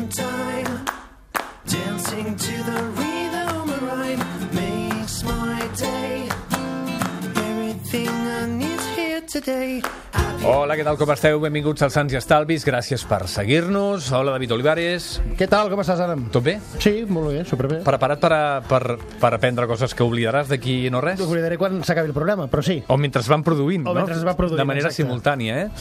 in time, dancing to the rhythm of rhyme makes my day. Everything I need here today. Hola, què tal, com esteu? Benvinguts als Sants i Estalvis, gràcies per seguir-nos. Hola, David Olivares. Què tal, com estàs, Adam? Tot bé? Sí, molt bé, superbé. Preparat per aprendre coses que oblidaràs d'aquí no res? Ho oblidaré quan s'acabi el programa, però sí. O mentre es van produint, O mentre es va produint, de manera exacte. simultània,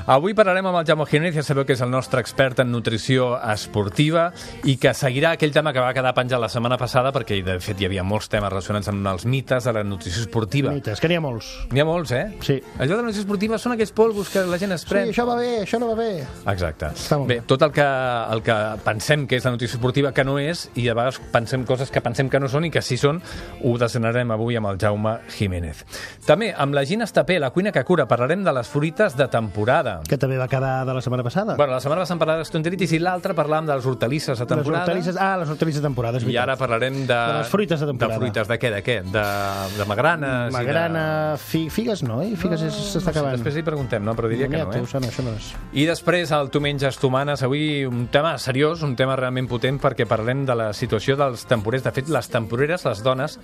Avui parlarem amb el Jaume Jiménez, ja sabeu que és el nostre expert en nutrició esportiva i que seguirà aquell tema que va quedar penjat la setmana passada, perquè de fet hi havia molts temes relacionats amb els mites de la nutrició esportiva. Mites, que n'hi ha molts. N'hi ha molts, Sí. Allò de la nutrició esportiva són aquells polvos que la gent es pren. Sí, això va bé, això no va bé. Exacte. Està molt Bé, tot el que pensem que és la nutrició esportiva que no és, i a vegades pensem coses que pensem que no són i que sí són, ho desgranarem avui amb el Jaume Jiménez. També amb la Gina Estapé, la cuina que cura, parlarem de les fruites de temporada. Que també va quedar de la setmana passada. Bueno, la setmana passada parlàvem de gastroenteritis i l'altra parlàvem de les hortalisses de temporada. Les hortalisses de temporada, és I veritat. ara parlarem de les fruites de temporada. De fruites de què? De què? De magranes? Magrana, figues no, Figues s'està acabant. Després hi preguntem, no? Però diria que no, Això no és. I després, el Tu menges, tu manes. Avui un tema seriós, un tema realment potent, perquè parlem de la situació dels temporers. De fet, les temporeres, les dones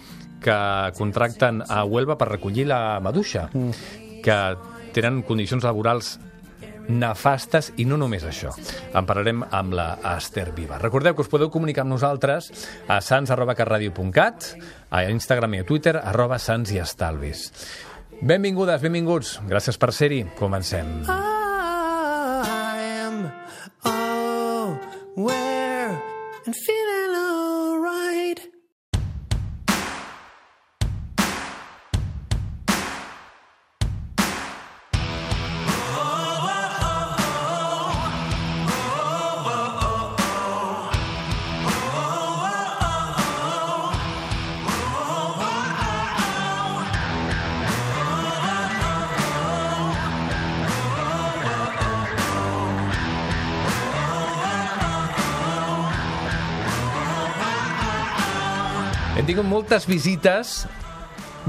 que contracten a Huelva per recollir la maduixa, que tenen condicions laborals nefastes, i no només això. En parlarem amb la Esther Viva. Recordeu que us podeu comunicar amb nosaltres a sans@catradio.cat, a Instagram i a Twitter, @sansiestalvis. Benvingudes, benvinguts. Gràcies per ser-hi. Comencem. I am aware and feeling alright. Hem tingut moltes visites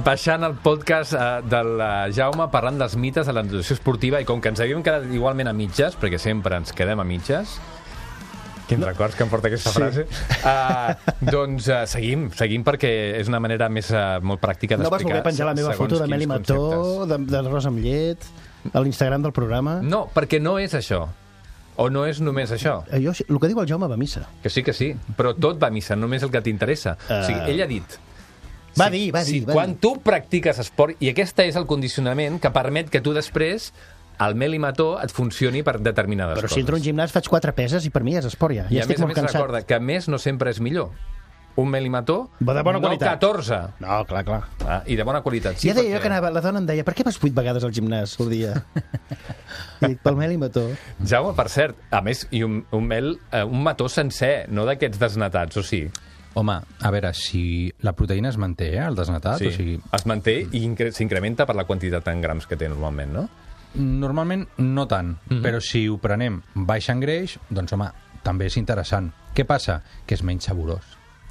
baixant el podcast del Jaume parlant dels mites de la nutrició esportiva, i com que ens havíem quedat igualment a mitges, perquè sempre ens quedem a mitges, quins records que em porta aquesta frase, doncs seguim perquè és una manera més molt pràctica No vas d'explicar. voler penjar la meva foto de Meli Mató, d'arròs amb llet, a l'Instagram del programa? No, perquè no és això. O no és només això. El que diu el Jaume va a missa. Que sí, però tot va a missa, només el que t'interessa. O sigui, ell ha dit... Va dir. Quan tu practiques esport, i aquest és el condicionament que permet que tu després el Meli Mató et funcioni per determinades coses. Però si entro a un gimnàs faig 4 peses i per mi és esport ja. I Ja a estic més molt cansat. recorda que més no sempre és millor. Un Meli Mató, Va de bona qualitat. 14. No, clar. I de bona qualitat. Sí, Ja deia jo que anava, la dona em deia, per què vas 8 vegades al gimnàs al dia? I dic, pel Meli Mató. Jaume, per cert, a més, i un mató sencer, no d'aquests desnatats, o sí? Home, a veure, si la proteïna es manté, el desnatat, Sí, o sigui... es manté i s'incrementa per la quantitat en grams que té normalment, no? Normalment no tant, però si ho prenem baix en greix, doncs home, també és interessant. Què passa? Que és menys saborós.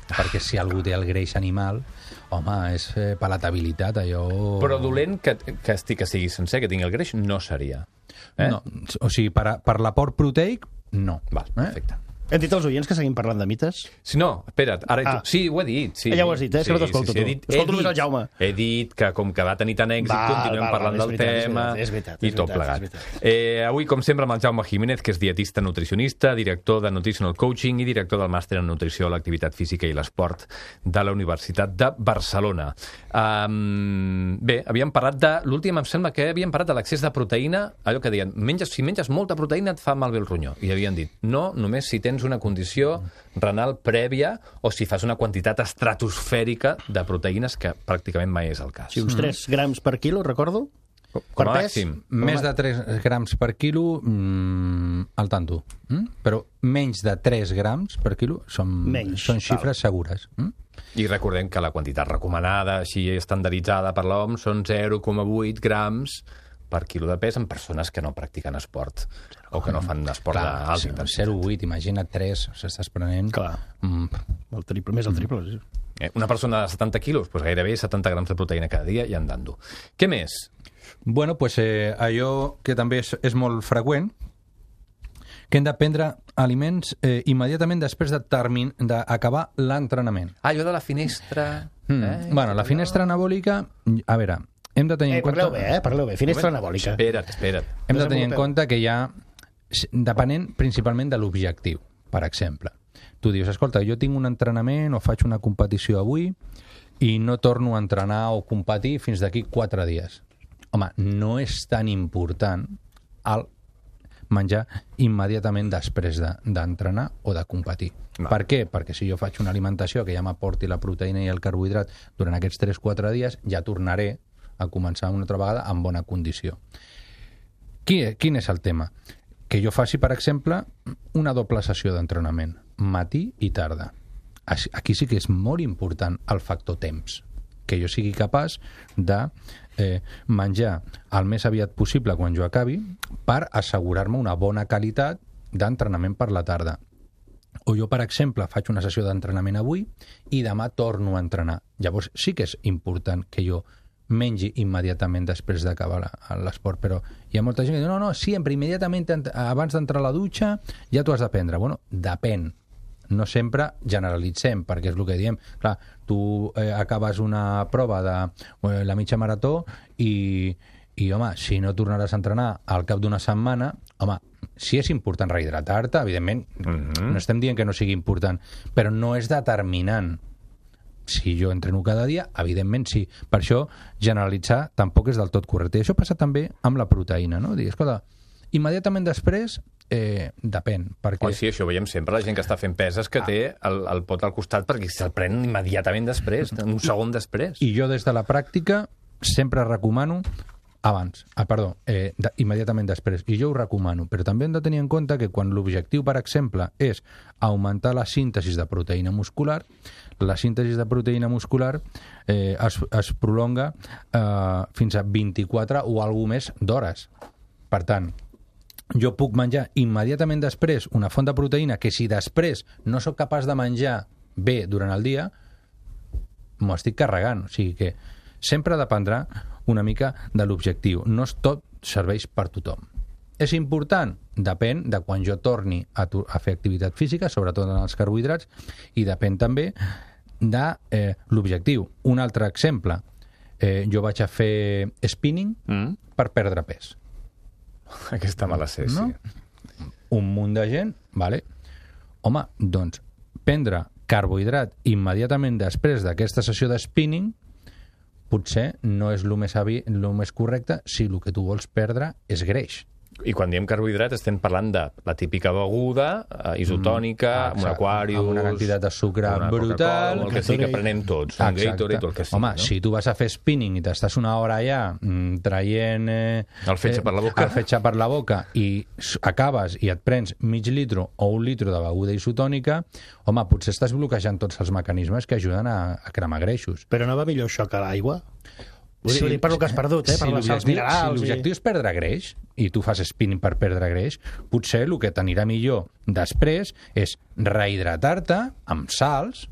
Perquè si algú té el greix animal, home, és palatabilitat, allò... Però dolent que sigui sencer, que tingui el greix, no seria. No, o sigui, per l'aport proteic, no. Val, perfecte. Hem dit als oients que seguim parlant de mites? Si no, espera't, ara... Sí, ho he dit. Sí. Ja ho has dit, és que no t'escolto tu. Escolto només el Jaume. He dit que com que va tenir tant èxit, continuem parlant del tema i tot plegat. Avui, com sempre, amb el Jaume Jiménez, que és dietista nutricionista, director de Nutritional Coaching i director del màster en nutrició, l'activitat física i l'esport de la Universitat de Barcelona. Bé, havíem parlat de... L'últim em sembla que havíem parlat de l'excés de proteïna, allò que deien, si menges molta proteïna et fa malbé el ronyó. I havien dit, no, només si tens una condició renal prèvia o si fas una quantitat estratosfèrica de proteïnes, que pràcticament mai és el cas. Sí, uns 3 grams per quilo, recordo. Com a màxim. Més de 3 grams per quilo, al tanto. Però menys de 3 grams per quilo són xifres segures. I recordem que la quantitat recomanada, així estandarditzada per l'OMS, són 0,8 grams per quilo de pes en persones que no practiquen esport o que no fan esport d'alta intensitat. 0,8, imagina't 3, s'estàs prenent... Clar, el triple, més el triple. Sí. Una persona de 70 quilos, doncs gairebé 70 grams de proteïna cada dia i andando. Què més? Bueno, pues allò que també és molt freqüent, que hem de prendre aliments immediatament després d'acabar l'entrenament. Allò de la finestra... Bueno, la finestra anabòlica, a veure, hem de tenir en compte... Parleu bé, finestra anabòlica. Espera't. Hem de tenir en compte que hi ha, depenent principalment de l'objectiu, per exemple. Tu dius, escolta, jo tinc un entrenament o faig una competició avui i no torno a entrenar o competir fins d'aquí 4 dies. Home, no és tan important el menjar immediatament després d'entrenar o de competir. No. Per què? Perquè si jo faig una alimentació que ja m'aporti la proteïna i el carbohidrat durant aquests 3-4 dies, ja tornaré a començar una altra vegada en bona condició. Quin és el tema? Que jo faci, per exemple, una doble sessió d'entrenament, matí i tarda. Aquí sí que és molt important el factor temps, que jo sigui capaç de menjar el més aviat possible quan jo acabi per assegurar-me una bona qualitat d'entrenament per la tarda. O jo, per exemple, faig una sessió d'entrenament avui i demà torno a entrenar. Llavors sí que és important que jo mengi immediatament després d'acabar l'esport, però hi ha molta gent que diu no, sempre, immediatament abans d'entrar a la dutxa ja t'ho has de prendre. Bueno, depèn. No sempre generalitzem, perquè és el que diem. Clar, tu acabes una prova de la mitja marató i home, si no tornaràs a entrenar al cap d'una setmana, home, sí és important rehidratar-te, evidentment, no estem dient que no sigui important, però no és determinant. Si jo entreno cada dia, evidentment sí. Per això, generalitzar tampoc és del tot correcte. I això passa també amb la proteïna, no? Dir, escolta, immediatament després depèn. Perquè... Sí, això ho veiem sempre, la gent que està fent peses que té el pot al costat perquè se'l pren immediatament després, un segon després. I jo des de la pràctica sempre recomano immediatament després. I jo ho recomano, però també hem de tenir en compte que quan l'objectiu, per exemple, és augmentar la síntesi de proteïna muscular, la síntesi de proteïna muscular es prolonga fins a 24 o alguna més d'hores. Per tant, jo puc menjar immediatament després una font de proteïna que si després no sóc capaç de menjar bé durant el dia, m'ho estic carregant. O sigui que sempre dependrà una mica de l'objectiu. No tot serveix per tothom. És important? Depèn de quan jo torni a fer activitat física, sobretot en els carbohidrats, i depèn també de l'objectiu. Un altre exemple, jo vaig a fer spinning per perdre pes. Aquesta me la sé, no? Sí. Un munt de gent, vale. Home, doncs, prendre carbohidrat immediatament després d'aquesta sessió de spinning potser no és el més correcte si el que tu vols perdre és greix. I quan diem carbohidrat estem parlant de la típica beguda isotònica, amb un Aquarius... Amb una quantitat de sucre brutal... El que sí que prenem tots, un Gatorade o el que sí. Home, si tu vas a fer spinning i t'estàs una hora allà traient... el fetge per la boca. El fetge per la boca i acabes i et prens mig litre o 1 litre de beguda isotònica, home, potser estàs bloquejant tots els mecanismes que ajuden a cremar greixos. Però no va millor això que l'aigua? Vull dir, per el que has perdut, per les sals minerals... Si l'objectiu és perdre greix, i tu fas spinning per perdre greix, potser el que t'anirà millor després és rehidratar-te amb sals,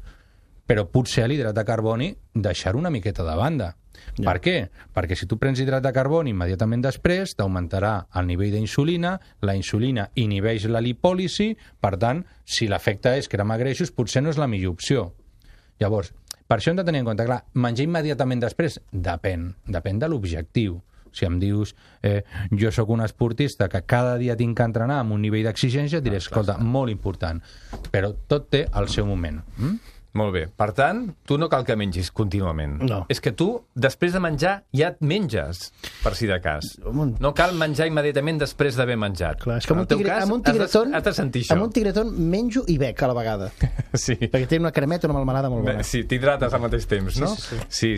però potser l'hidrat de carboni deixar una miqueta de banda. Ja. Per què? Perquè si tu prens hidrat de carboni immediatament després, t'augmentarà el nivell d'insulina, la insulina inhibeix la lipòlisi, per tant, si l'efecte és cremar greixos, potser no és la millor opció. Llavors, per això hem de tenir en compte, clar, menjar immediatament després depèn de l'objectiu. Si em dius, jo sóc un esportista que cada dia tinc que entrenar amb un nivell d'exigència, diré, escolta, molt important. Però tot té el seu moment. Molt bé. Per tant, tu no cal que mengis contínuament. No. És que tu, després de menjar, ja et menges, per si de cas. No cal menjar immediatament després d'haver menjat. Clar, és que amb un tigretón, has de sentir això. Amb un tigretón menjo i bec a la vegada. Sí. Perquè té una cremeta, una melmelada molt bona. Sí, t'hidrates al mateix temps, no? Sí.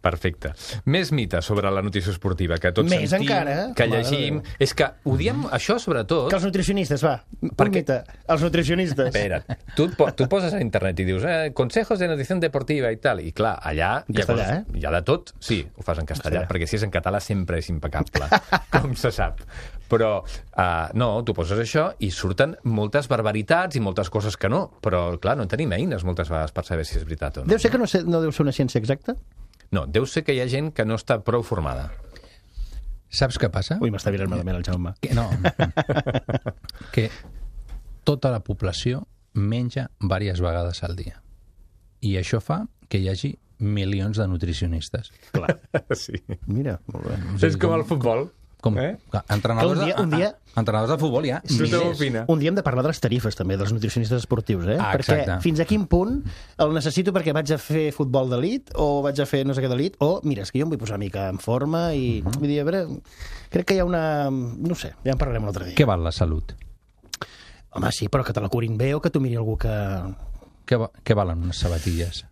Perfecte. Més mites sobre la nutrició esportiva, que tots més sentim, encara, que llegim... És que ho diem, això sobretot... Que els nutricionistes, va. Un mite. Els nutricionistes. Espera't. Tu poses a internet i dius consejos de nutrició deportiva i tal, i clar, allà hi ha de tot. Sí, ho fas en castellà, perquè si és en català sempre és impecable, com se sap. Però no, tu poses això i surten moltes barbaritats i moltes coses que no, però clar, no tenim eines moltes vegades per saber si és veritat o no. Deu ser que no deu ser una ciència exacta? No, deu ser que hi ha gent que no està prou formada. Saps què passa? Ui, m'està virant malament el Jaume. Que tota la població menja diverses vegades al dia. I això fa que hi hagi milions de nutricionistes. Clar. Sí. Mira, molt bé. És com el futbol. Entrenadors de futbol hi ha milers. Un dia hem de parlar de les tarifes, també, dels nutricionistes esportius, Exacte. Perquè fins a quin punt el necessito perquè vaig a fer futbol d'elit o vaig a fer no sé què d'elit, o, mira, és que jo em vull posar una mica en forma i... Vull dir, a veure, crec que hi ha una... No sé, ja en parlarem un altre dia. Què val la salut? Home, sí, però que te la curin bé o que t'ho miri algú que... Què valen unes sabatilles?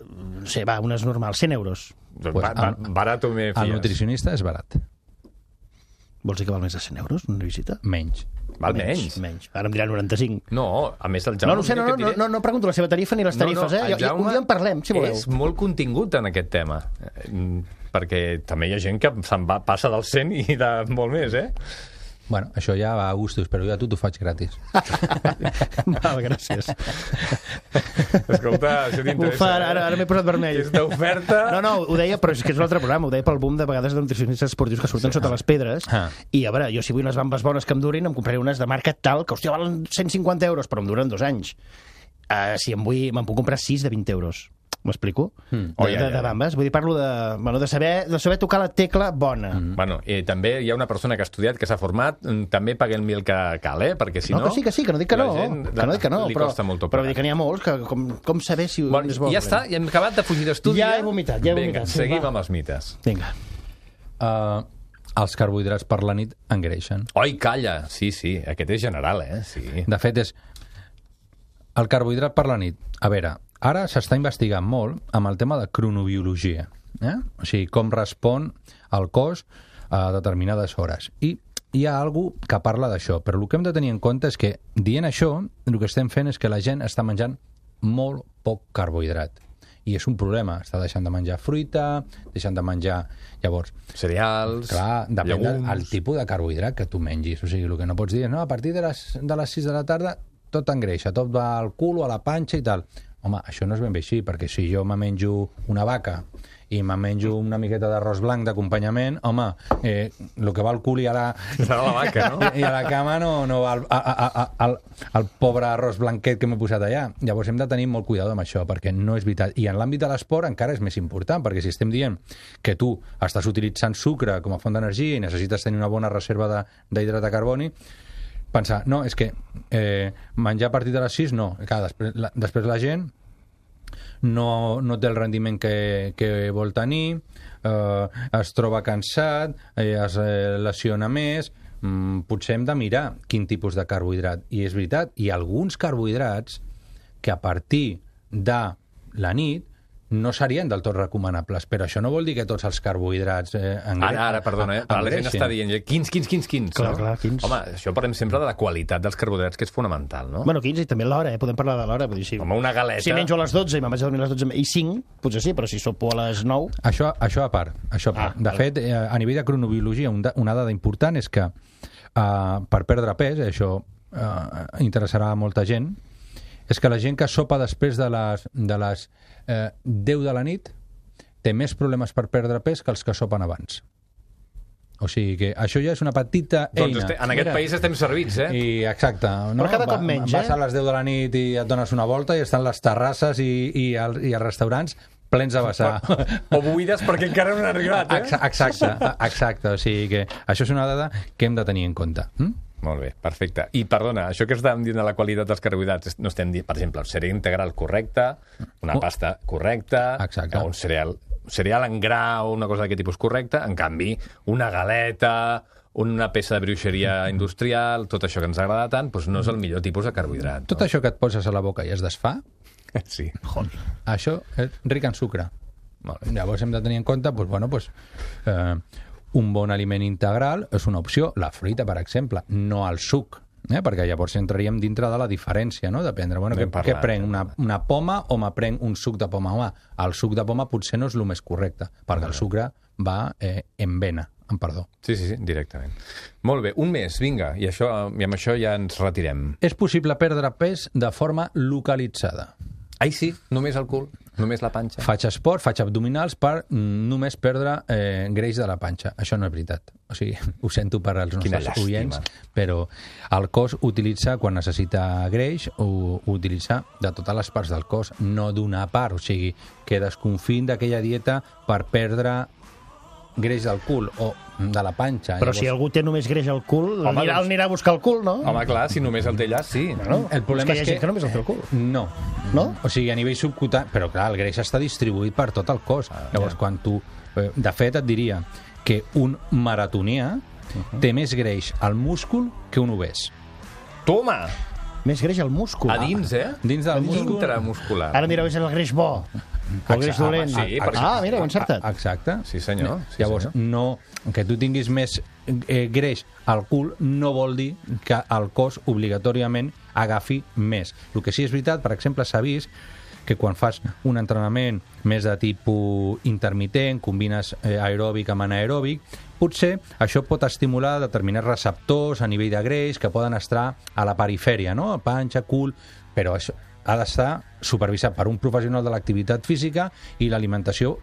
No sé, va, unes normals, 100 euros. Barat o me fies? El nutricionista és barat. Vols dir que val més de 100 euros una visita? Menys. Val menys? Menys. Ara em dirà 95. No, a més el Jaume... No pregunto la seva tarifa ni les tarifes, un dia en parlem, si voleu. És molt contingut en aquest tema, perquè també hi ha gent que passa del 100 i de molt més, Bueno, això ja va a gustos, però jo a tu t'ho faig gratis. Val, gràcies. Escolta, això t'interessa. Ara m'he posat vermell. Aquesta oferta... No, ho deia, però és que és un altre programa, ho deia pel boom de vegades de nutricionistes esportius que surten sota les pedres, i a veure, jo si vull unes bambes bones que em durin, em compraré unes de marca tal, que hòstia, valen 150 euros, però em duren 2 anys. Si me'n puc comprar 6 de 20 euros. M'explico? De bambes. Vull dir, parlo de saber tocar la tecla bona. Bueno, també hi ha una persona que ha estudiat, que s'ha format, també paguem el que cal, perquè si no... No, que sí, que no dic que no. Li costa molt però vull dir que n'hi ha molts, que com saber si és bo. Ja està, ja hem acabat de fugir d'estudi. Ja he vomitat. Vinga, seguim amb els mites. Vinga. Els carbohidrats per la nit engreixen. Oi, calla! Sí, aquest és general, Sí. De fet, és el carbohidrat per la nit. A veure, ara s'està investigant molt amb el tema de cronobiologia, o sigui, com respon el cos a determinades hores. I hi ha algú que parla d'això, però el que hem de tenir en compte és que, dient això, el que estem fent és que la gent està menjant molt poc carbohidrat. I és un problema, està deixant de menjar fruita, deixant de menjar, llavors... Cereals, clar, depèn llegums... del tipus de carbohidrat que tu mengis. O sigui, el que no pots dir és, no, a partir de les 6 de la tarda tot engreixa, tot va al cul o a la panxa i tal. Home, això no és ben bé així, perquè si jo me menjo una vaca i me menjo una miqueta d'arròs blanc d'acompanyament, home, el que va al cul i a la... Serà la vaca, no? I a la cama no va el pobre arròs blanquet que m'he posat allà. Llavors hem de tenir molt cuidado amb això, perquè no és veritat. I en l'àmbit de l'esport encara és més important, perquè si estem dient que tu estàs utilitzant sucre com a font d'energia i necessites tenir una bona reserva d'hidrat de carboni, pensar, no, és que menjar a partir de les 6, no. Clar, després la gent no té el rendiment que vol tenir, es troba cansat, es lesiona més, potser hem de mirar quin tipus de carbohidrat. I és veritat, hi ha alguns carbohidrats que a partir de la nit no serien del tot recomanables, però això no vol dir que tots els carbohidrats Ara, perdona, la gent està dient quins. Clar, quins. Home, això parlem sempre de la qualitat dels carbohidrats, que és fonamental, no? Bueno, quins, i també l'hora, podem parlar de l'hora. Vull dir, Home, una galeta... Si menjo a les 12 i me'n vaig a dormir a les 12 i 5, potser sí, però si sopo a les 9... Això a part. De fet, a nivell de cronobiologia, una dada important és que per perdre pes, això interessarà a molta gent, és que la gent que sopa després de les 10 de la nit té més problemes per perdre pes que els que sopen abans. O sigui que això ja és una petita eina. Doncs en aquest país estem servits, I exacte. No? Però cada cop menys, Vas a les 10 de la nit i et dones una volta i estan les terrasses i els restaurants plens a vessar. O buides perquè encara no han arribat, Exacte. O sigui que això és una dada que hem de tenir en compte. Molt bé, perfecte. I perdona, això que estàvem dient de la qualitat dels carbohidrats, no estem dient, per exemple, el cereal integral correcte, una pasta correcta, un cereal en gra o una cosa d'aquest tipus correcta, en canvi, una galeta, una peça de bruixeria industrial, tot això que ens agrada tant, doncs no és el millor tipus de carbohidrat. Tot això que et poses a la boca i es desfà, sí. Això és ric en sucre. Llavors hem de tenir en compte, un bon aliment integral és una opció, la fruita, per exemple, no el suc, perquè llavors entraríem dintre de la diferència, no? Dependre, què prenc, una poma o me prenc un suc de poma? Home, el suc de poma potser no és el més correcte, perquè el sucre va en vena, amb perdó. Sí, directament. Molt bé, un mes, vinga, i amb això ja ens retirem. És possible perdre pes de forma localitzada. Ai, sí, només al cul. Només la panxa? Faig esport, faig abdominals per només perdre greix de la panxa. Això no és veritat. O sigui, ho sento per als nostres oients, però el cos utilitza, quan necessita greix, ho utilitza de totes les parts del cos, no d'una part. O sigui, que desconfin d'aquella dieta per perdre greix del cul o de la panxa. Però si algú té només greix al cul, anirà a buscar el cul, no? Home, clar, si només el té allà, sí. El problema és que hi ha gent que només el té al cul. No. O sigui, a nivell subcutani... Però, clar, el greix està distribuït per tot el cos. Llavors, quan tu... De fet, et diria que un maratonià té més greix al múscul que un obès. Toma! Més greix al múscul. A dins, Dins del múscul. Intramuscular. Ara mireu, és el greix bo. El greix dolent. Sí, mira, ho he encertat. Exacte. Sí, senyor. Llavors, no, que tu tinguis més greix al cul no vol dir que el cos obligatòriament agafi més. El que sí és veritat, per exemple, s'ha vist que quan fas un entrenament més de tipus intermitent, combines aeròbic amb anaeròbic, potser això pot estimular determinats receptors a nivell de greix que poden estar a la perifèria, no? Panxa, cul, però això ha d'estar supervisat per un professional de l'activitat física i l'alimentació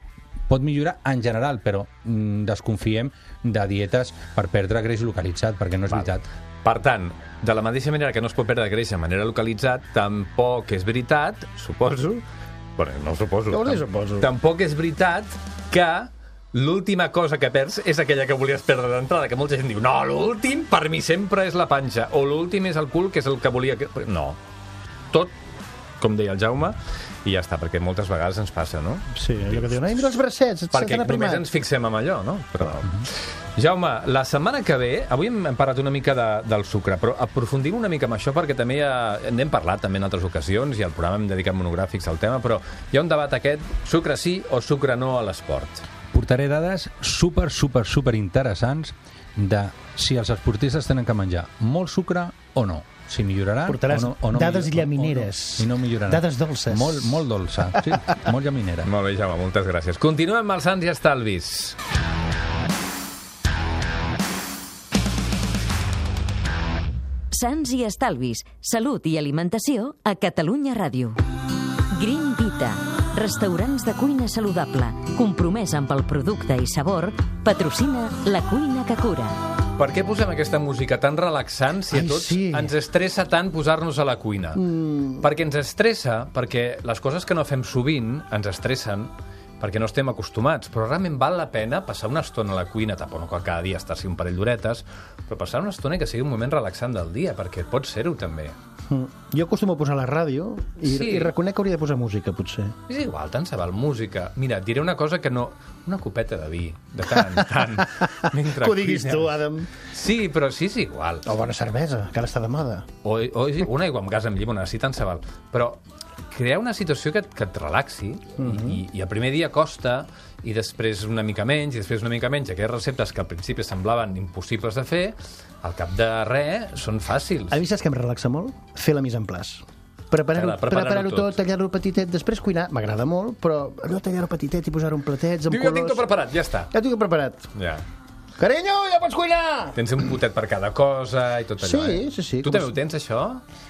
pot millorar en general, però desconfiem de dietes per perdre greix localitzat, perquè no és veritat. Per tant, de la mateixa manera que no es pot perdre greix de manera localitzat, tampoc és veritat, suposo, bueno, no suposo, tampoc és veritat que l'última cosa que perds és aquella que volies perdre d'entrada, que molta gent diu, no, l'últim per mi sempre és la panxa, o l'últim és el cul, que és el que volia... No, tot, com deia el Jaume, i ja està, perquè moltes vegades ens passa, no? Sí, allò que diuen, mira els bracets, perquè només ens fixem en allò, no? Però... Jaume, la setmana que ve, avui hem parlat una mica del sucre, però aprofundim una mica amb això perquè també n'hem parlat també en altres ocasions i al programa hem dedicat monogràfics al tema, però hi ha un debat aquest, sucre sí o sucre no a l'esport. Portaré dades super interessants de si els esportistes tenen que menjar molt sucre o no. Si milloraran o no dades llamineres. I no milloraran. Dades dolces. Molt dolça, sí, molt llaminera. Molt bé, Jaume, moltes gràcies. Continuem amb els Sants i Estalvis. Sants i Estalvis, salut i alimentació a Catalunya Ràdio. Green Vita, restaurants de cuina saludable, compromès amb el producte i sabor, patrocina la cuina que cura. Per què posem aquesta música tan relaxant si a tots ens estressa tant posar-nos a la cuina? Perquè ens estressa, perquè les coses que no fem sovint ens estressen, perquè no estem acostumats, però realment val la pena passar una estona a la cuina, tampoc no cal cada dia estar-s'hi un parell d'horetes, però passar una estona que sigui un moment relaxant del dia, perquè pot ser-ho també. Jo acostumo a posar la ràdio i reconec que hauria de posar música, potser. És igual, tant se val música. Mira, et diré una cosa que no... Una copeta de vi, de tant en tant. Que ho diguis tu, Adam. Sí, però sí és igual. O bona cervesa, que ara està de moda. O una aigua amb gas amb llimona, sí, tant se val. Però crear una situació que et relaxi i el primer dia costa i després una mica menys i després una mica menys. Aquelles receptes que al principi semblaven impossibles de fer, al cap de res són fàcils. A mi saps que em relaxa molt? Fer la mise en place. Preparar-ho tot, tallar-ho petitet, després cuinar, m'agrada molt, però allò tallar-ho petitet i posar-ho en platets, amb colors... Jo tinc tot preparat, ja està. Ja tinc tot preparat. Ja. Carinyo, ja pots cuinar! Tens un potet per cada cosa i tot allò, Sí. Tu també ho tens, això?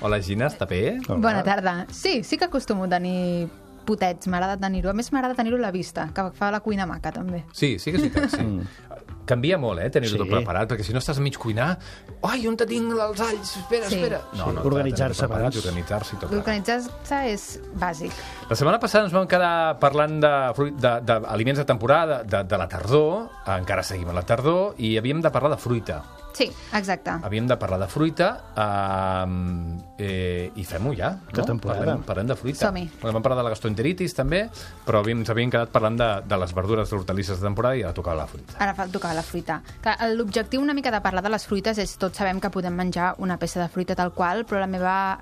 Hola, Gina, està bé? Bona tarda. Sí que acostumo a tenir potets, m'agrada tenir-ho. A més, m'agrada tenir-ho a la vista, que fa la cuina maca, també. Sí que és veritat, sí. Canvia molt, tenir-ho tot preparat, perquè si no estàs a mig cuinar... Ai, on te tinc els alls? Espera. No, organitzar-se abans. Organitzar-se i tot. Organitzar-se és bàsic. La setmana passada ens vam quedar parlant d'aliments de temporada, de la tardor, encara seguim a la tardor, i havíem de parlar de fruita. Sí, exacte. Havíem de parlar de fruita i fem-ho ja, no? Parlem de fruita. Som-hi. Vam parlar de la gastroenteritis també, però ens havíem quedat parlant de les verdures, de hortalisses de temporada i ara tocava la fruita. Ara tocava la fruita. L'objectiu una mica de parlar de les fruites és tots sabem que podem menjar una peça de fruita tal qual, però la meva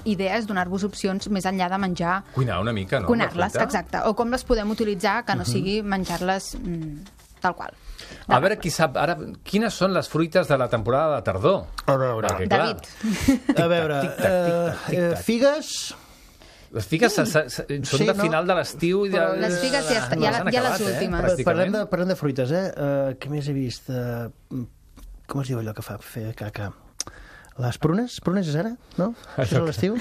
idea és donar-vos opcions més enllà de menjar... Cuinar una mica, no? Cuinar-les, exacte. O com les podem utilitzar, que no sigui menjar-les tal qual. A veure qui sap ara quines són les fruites de la temporada de tardor. A veure, David. A veure, figues... Les figues són de final de l'estiu i les figues ja les últimes. Parlem de fruites, Què més he vist? Com es diu allò que fa fer caca? Les prunes? Prunes és ara? No? Això és a l'estiu?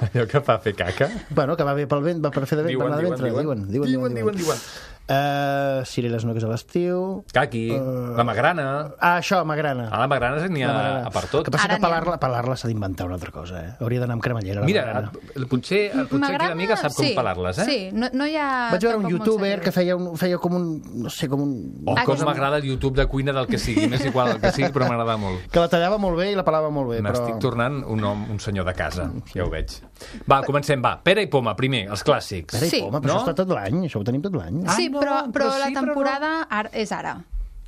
Allò que fa fer caca? Bueno, que va bé pel vent, va per fer de vent, va de ventre. Diuen. Cireres no, que és a l'estiu. Caqui, la magrana. Això, magrana. La magrana n'hi ha per tot. El que passa que pelar-la s'ha d'inventar una altra cosa, Hauria d'anar amb cremallera. Mira, potser aquí l'amiga sap com pelar-les, Sí, no hi ha... Vaig veure un youtuber que feia com un... no sé, com un... com m'agrada el YouTube de cuina del que sigui, m'és igual el que sigui, però m'agrada molt. Que la tallava molt bé i la pelava molt bé. M'estic tornant un senyor de casa, ja ho veig. Va, comencem, pera i poma, primer, els clàssics. Pera i poma, però això està tot l'any, això ho tenim tot l'any. Sí, però la temporada és ara.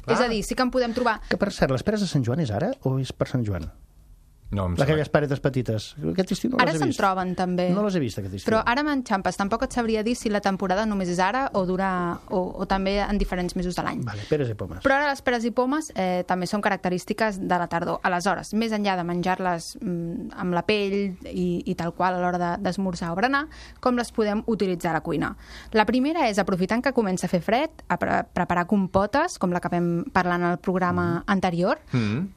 És a dir, sí que en podem trobar... Que, per cert, les peres de Sant Joan és ara o és per Sant Joan? No, aquelles paretes petites. Aquest estiu no les he vist. Ara se'n troben, també. No les he vist, aquest estiu. Però ara m'enxampes. Tampoc et sabria dir si la temporada només és ara o dura o també en diferents mesos de l'any. Vale, peres i pomes. Però ara les peres i pomes també són característiques de la tardor. Aleshores, més enllà de menjar-les amb la pell i tal qual a l'hora d'esmorzar o berenar, com les podem utilitzar a la cuina. La primera és, aprofitant que comença a fer fred, a preparar compotes, com la que vam parlar en el programa anterior,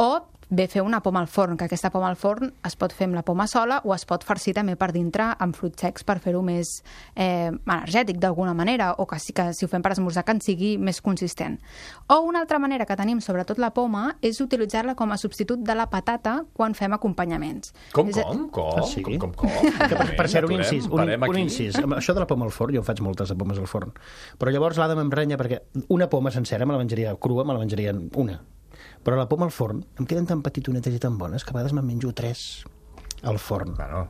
o bé fer una poma al forn, que aquesta poma al forn es pot fer amb la poma sola o es pot farcir també per dintre amb fruits secs per fer-ho més energètic d'alguna manera, o que sí que si ho fem per esmorzar que en sigui més consistent. O una altra manera que tenim, sobretot la poma, és utilitzar-la com a substitut de la patata quan fem acompanyaments. Com? Sí. Com? Per ser un incís. Un incís. Això de la poma al forn, jo faig moltes de pomes al forn. Però llavors l'Adam m'emprenya perquè una poma sencera me la menjaria crua, me la menjaria una. Però la poma al forn em queden tan petitonetes i tan bones que a vegades me'n menjo 3 al forn. Bueno.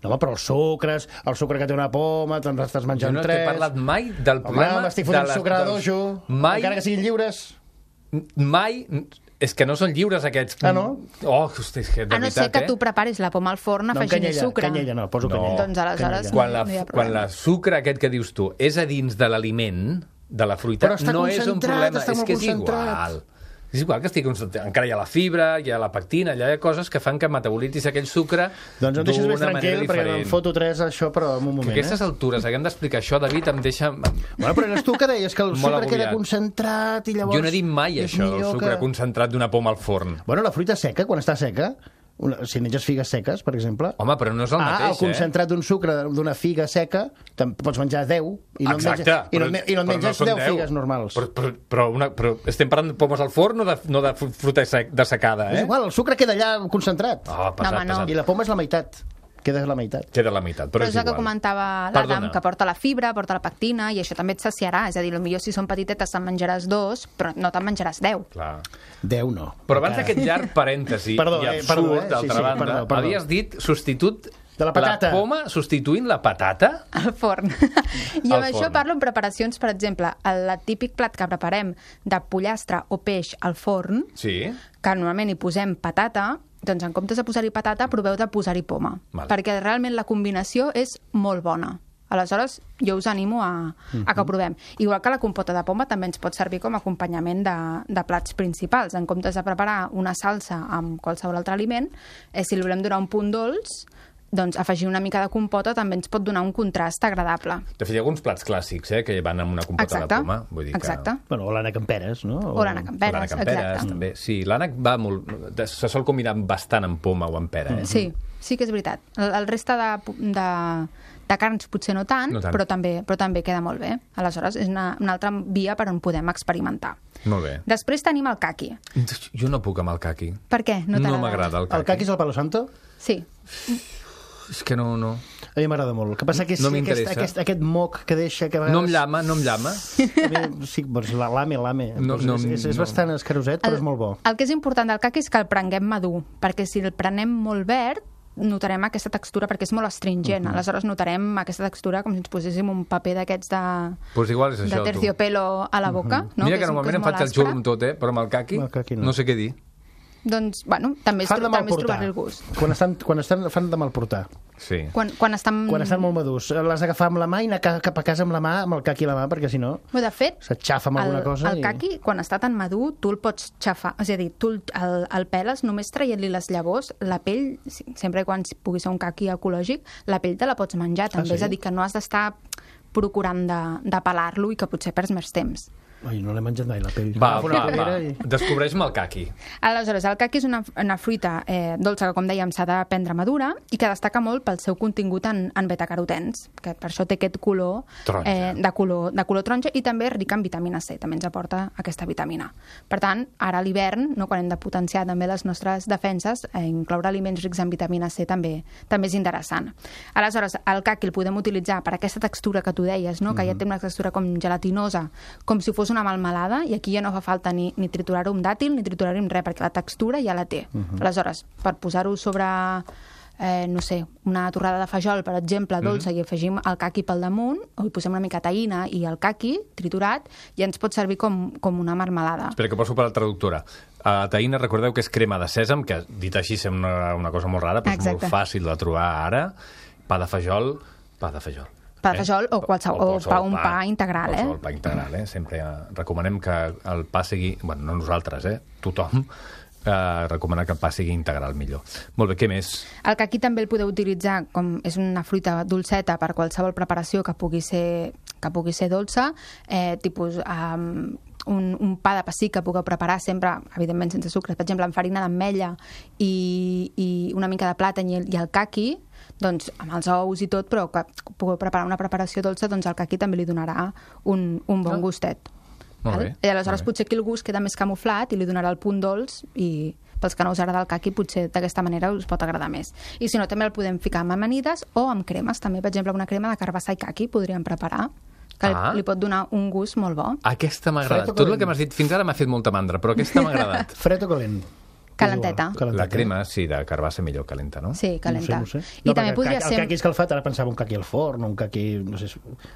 No, però el sucre que té una poma, te'n estàs menjant 3. Jo no t'he parlat mai del problema... Home, m'estic fotent sucre de dojo, encara que siguin lliures. Mai... És que no són lliures, aquests. Ah, no? Oh, hosti, és que de veritat, a no ser que tu preparis la poma al forn afegint sucre. Canyella no, poso canyella. Doncs aleshores quan la sucre aquest que dius tu és a dins de l'aliment, de la fruita, no és un problema. És que és igual. És igual que encara hi ha la fibra, hi ha la pectina, hi ha coses que fan que metabolitzis aquell sucre doncs em deixes més tranquil, perquè em foto 3 això, però en un moment. Que a aquestes altures haguem d'explicar això, David, em deixa... Bueno, però eres tu que deies que el sucre queda concentrat i llavors... Jo no he dit mai això, el sucre concentrat d'una poma al forn. Bueno, la fruita seca, quan està seca... Si menges figues seques, per exemple... Home, però no és el mateix, el concentrat d'un sucre d'una figa seca, pots menjar 10 i no et menges 10 figues normals. Però estem parlant de pomes al forn o de fruita dessecada, És igual, el sucre queda allà concentrat. Pesat. I la poma és la meitat. Queda la meitat, però és el que comentava l'Adam, que porta la fibra, porta la pectina, i això també et saciarà. És a dir, potser si són petitetes te'n menjaràs 2, però no te'n menjaràs 10. Clar. 10 no. Però abans d'aquest llarg parèntesi i absurd, d'altra banda, havies dit substitut de la patata. La poma substituint la patata? Al forn. I amb això parlo en preparacions, per exemple, el típic plat que preparem de pollastre o peix al forn, que normalment hi posem patata, doncs en comptes de posar-hi patata, proveu de posar-hi poma. Perquè realment la combinació és molt bona. Aleshores, jo us animo a que ho provem. Igual que la compota de poma també ens pot servir com a acompanyament de plats principals. En comptes de preparar una salsa amb qualsevol altre aliment, si li volem donar un punt dolç, doncs afegir una mica de compota també ens pot donar un contrast agradable. De fet, hi ha alguns plats clàssics que van amb una compota de poma. Vull dir exacte. Bueno, o l'ànec amb peres, no? O l'ànec amb peres, exacte. També. Sí, l'ànec va molt... Se sol combinar bastant amb poma o amb pera. Sí que és veritat. El reste de carns potser no tant, però també queda molt bé. Aleshores, és una altra via per on podem experimentar. Molt bé. Després tenim el caqui. Jo no puc amb el caqui. Per què? No m'agrada el caqui. El caqui és el palo santo? Sí. És que no. A mi m'agrada molt. El que passa que és aquest moc que deixa... Que no em llama. Sí, doncs l'ame. És bastant escaroset, però és molt bo. El que és important del caqui és que el prenguem madur, perquè si el prenem molt verd, notarem aquesta textura, perquè és molt astringent. Aleshores notarem aquesta textura com si ens poséssim un paper d'aquests de terciopelo a la boca. Mira que normalment em faig el xulo amb tot, però amb el caqui no sé què dir. Doncs, bueno, també és trobar-li el gust. Quan estan fan de mal portar. Sí. Quan estan molt madurs. L'has d'agafar amb la mà i anar cap a casa amb la mà, amb el caqui a la mà, perquè si no... De fet, s'atxafa amb alguna cosa. El caqui, quan està tan madur, tu el pots xafar. És a dir, tu el peles només traient-li les llavors, la pell, sempre quan pugui ser un caqui ecològic, la pell te la pots menjar, també. És a dir, que no has d'estar procurant de pelar-lo i que potser perds més temps. Ai, no l'he menjat mai, la pell. Va. Descobreix-me el caqui. Aleshores, el caqui és una fruita dolça que, com dèiem, s'ha de prendre madura i que destaca molt pel seu contingut en betacarotens, que per això té aquest color de color taronja, i també és rica en vitamina C, també ens aporta aquesta vitamina. Per tant, ara a l'hivern, quan hem de potenciar també les nostres defenses, incloure aliments rics en vitamina C també és interessant. Aleshores, el caqui el podem utilitzar per aquesta textura que tu deies, no? Que ja té una textura com gelatinosa, com si fos una melmelada, i aquí ja no fa falta ni triturar-ho amb dàtil ni triturar-ho amb res, perquè la textura ja la té. Aleshores, per posar-ho sobre, no sé, una torrada de fajol, per exemple, dolça, i afegim el caqui pel damunt, o hi posem una mica taïna i el caqui triturat, ja ens pot servir com una marmelada. Espera, que poso per la traductora. La taïna, recordeu que és crema de sèsam, que dit així sembla una cosa molt rara, però és molt fàcil de trobar ara. Pa de fajol. Pa de fajol o un pa integral, Qualsevol pa integral, Sempre recomanem que el pa sigui... Bueno, no nosaltres, tothom recomana que el pa sigui integral millor. Molt bé, què més? El caqui també el podeu utilitzar és una fruita dolceta per qualsevol preparació que pugui ser dolça, tipus... un pa de pessic que pugueu preparar sempre, evidentment sense sucre, per exemple, amb farina d'ametlla i una mica de plàtan i el caqui, doncs amb els ous i tot, però que pugueu preparar una preparació dolça, doncs el caqui també li donarà un bon gustet. Molt bé. I aleshores potser aquí el gust queda més camuflat i li donarà el punt dolç, i pels que no us agrada el caqui potser d'aquesta manera us pot agradar més. I si no, també el podem ficar amb amanides o amb cremes, també, per exemple, una crema de carbassa i caqui podríem preparar, que li pot donar un gust molt bo. Aquesta m'ha agradat. Tot el que m'has dit fins ara m'ha fet molta mandra, però aquesta m'ha agradat. Fred o calent? Calenteta. La crema, sí, de carbassa millor calenta, no? Sí, calenta. No sé. I també podria ser... El caqui escalfat, ara pensava un caqui al forn, un caqui... No sé,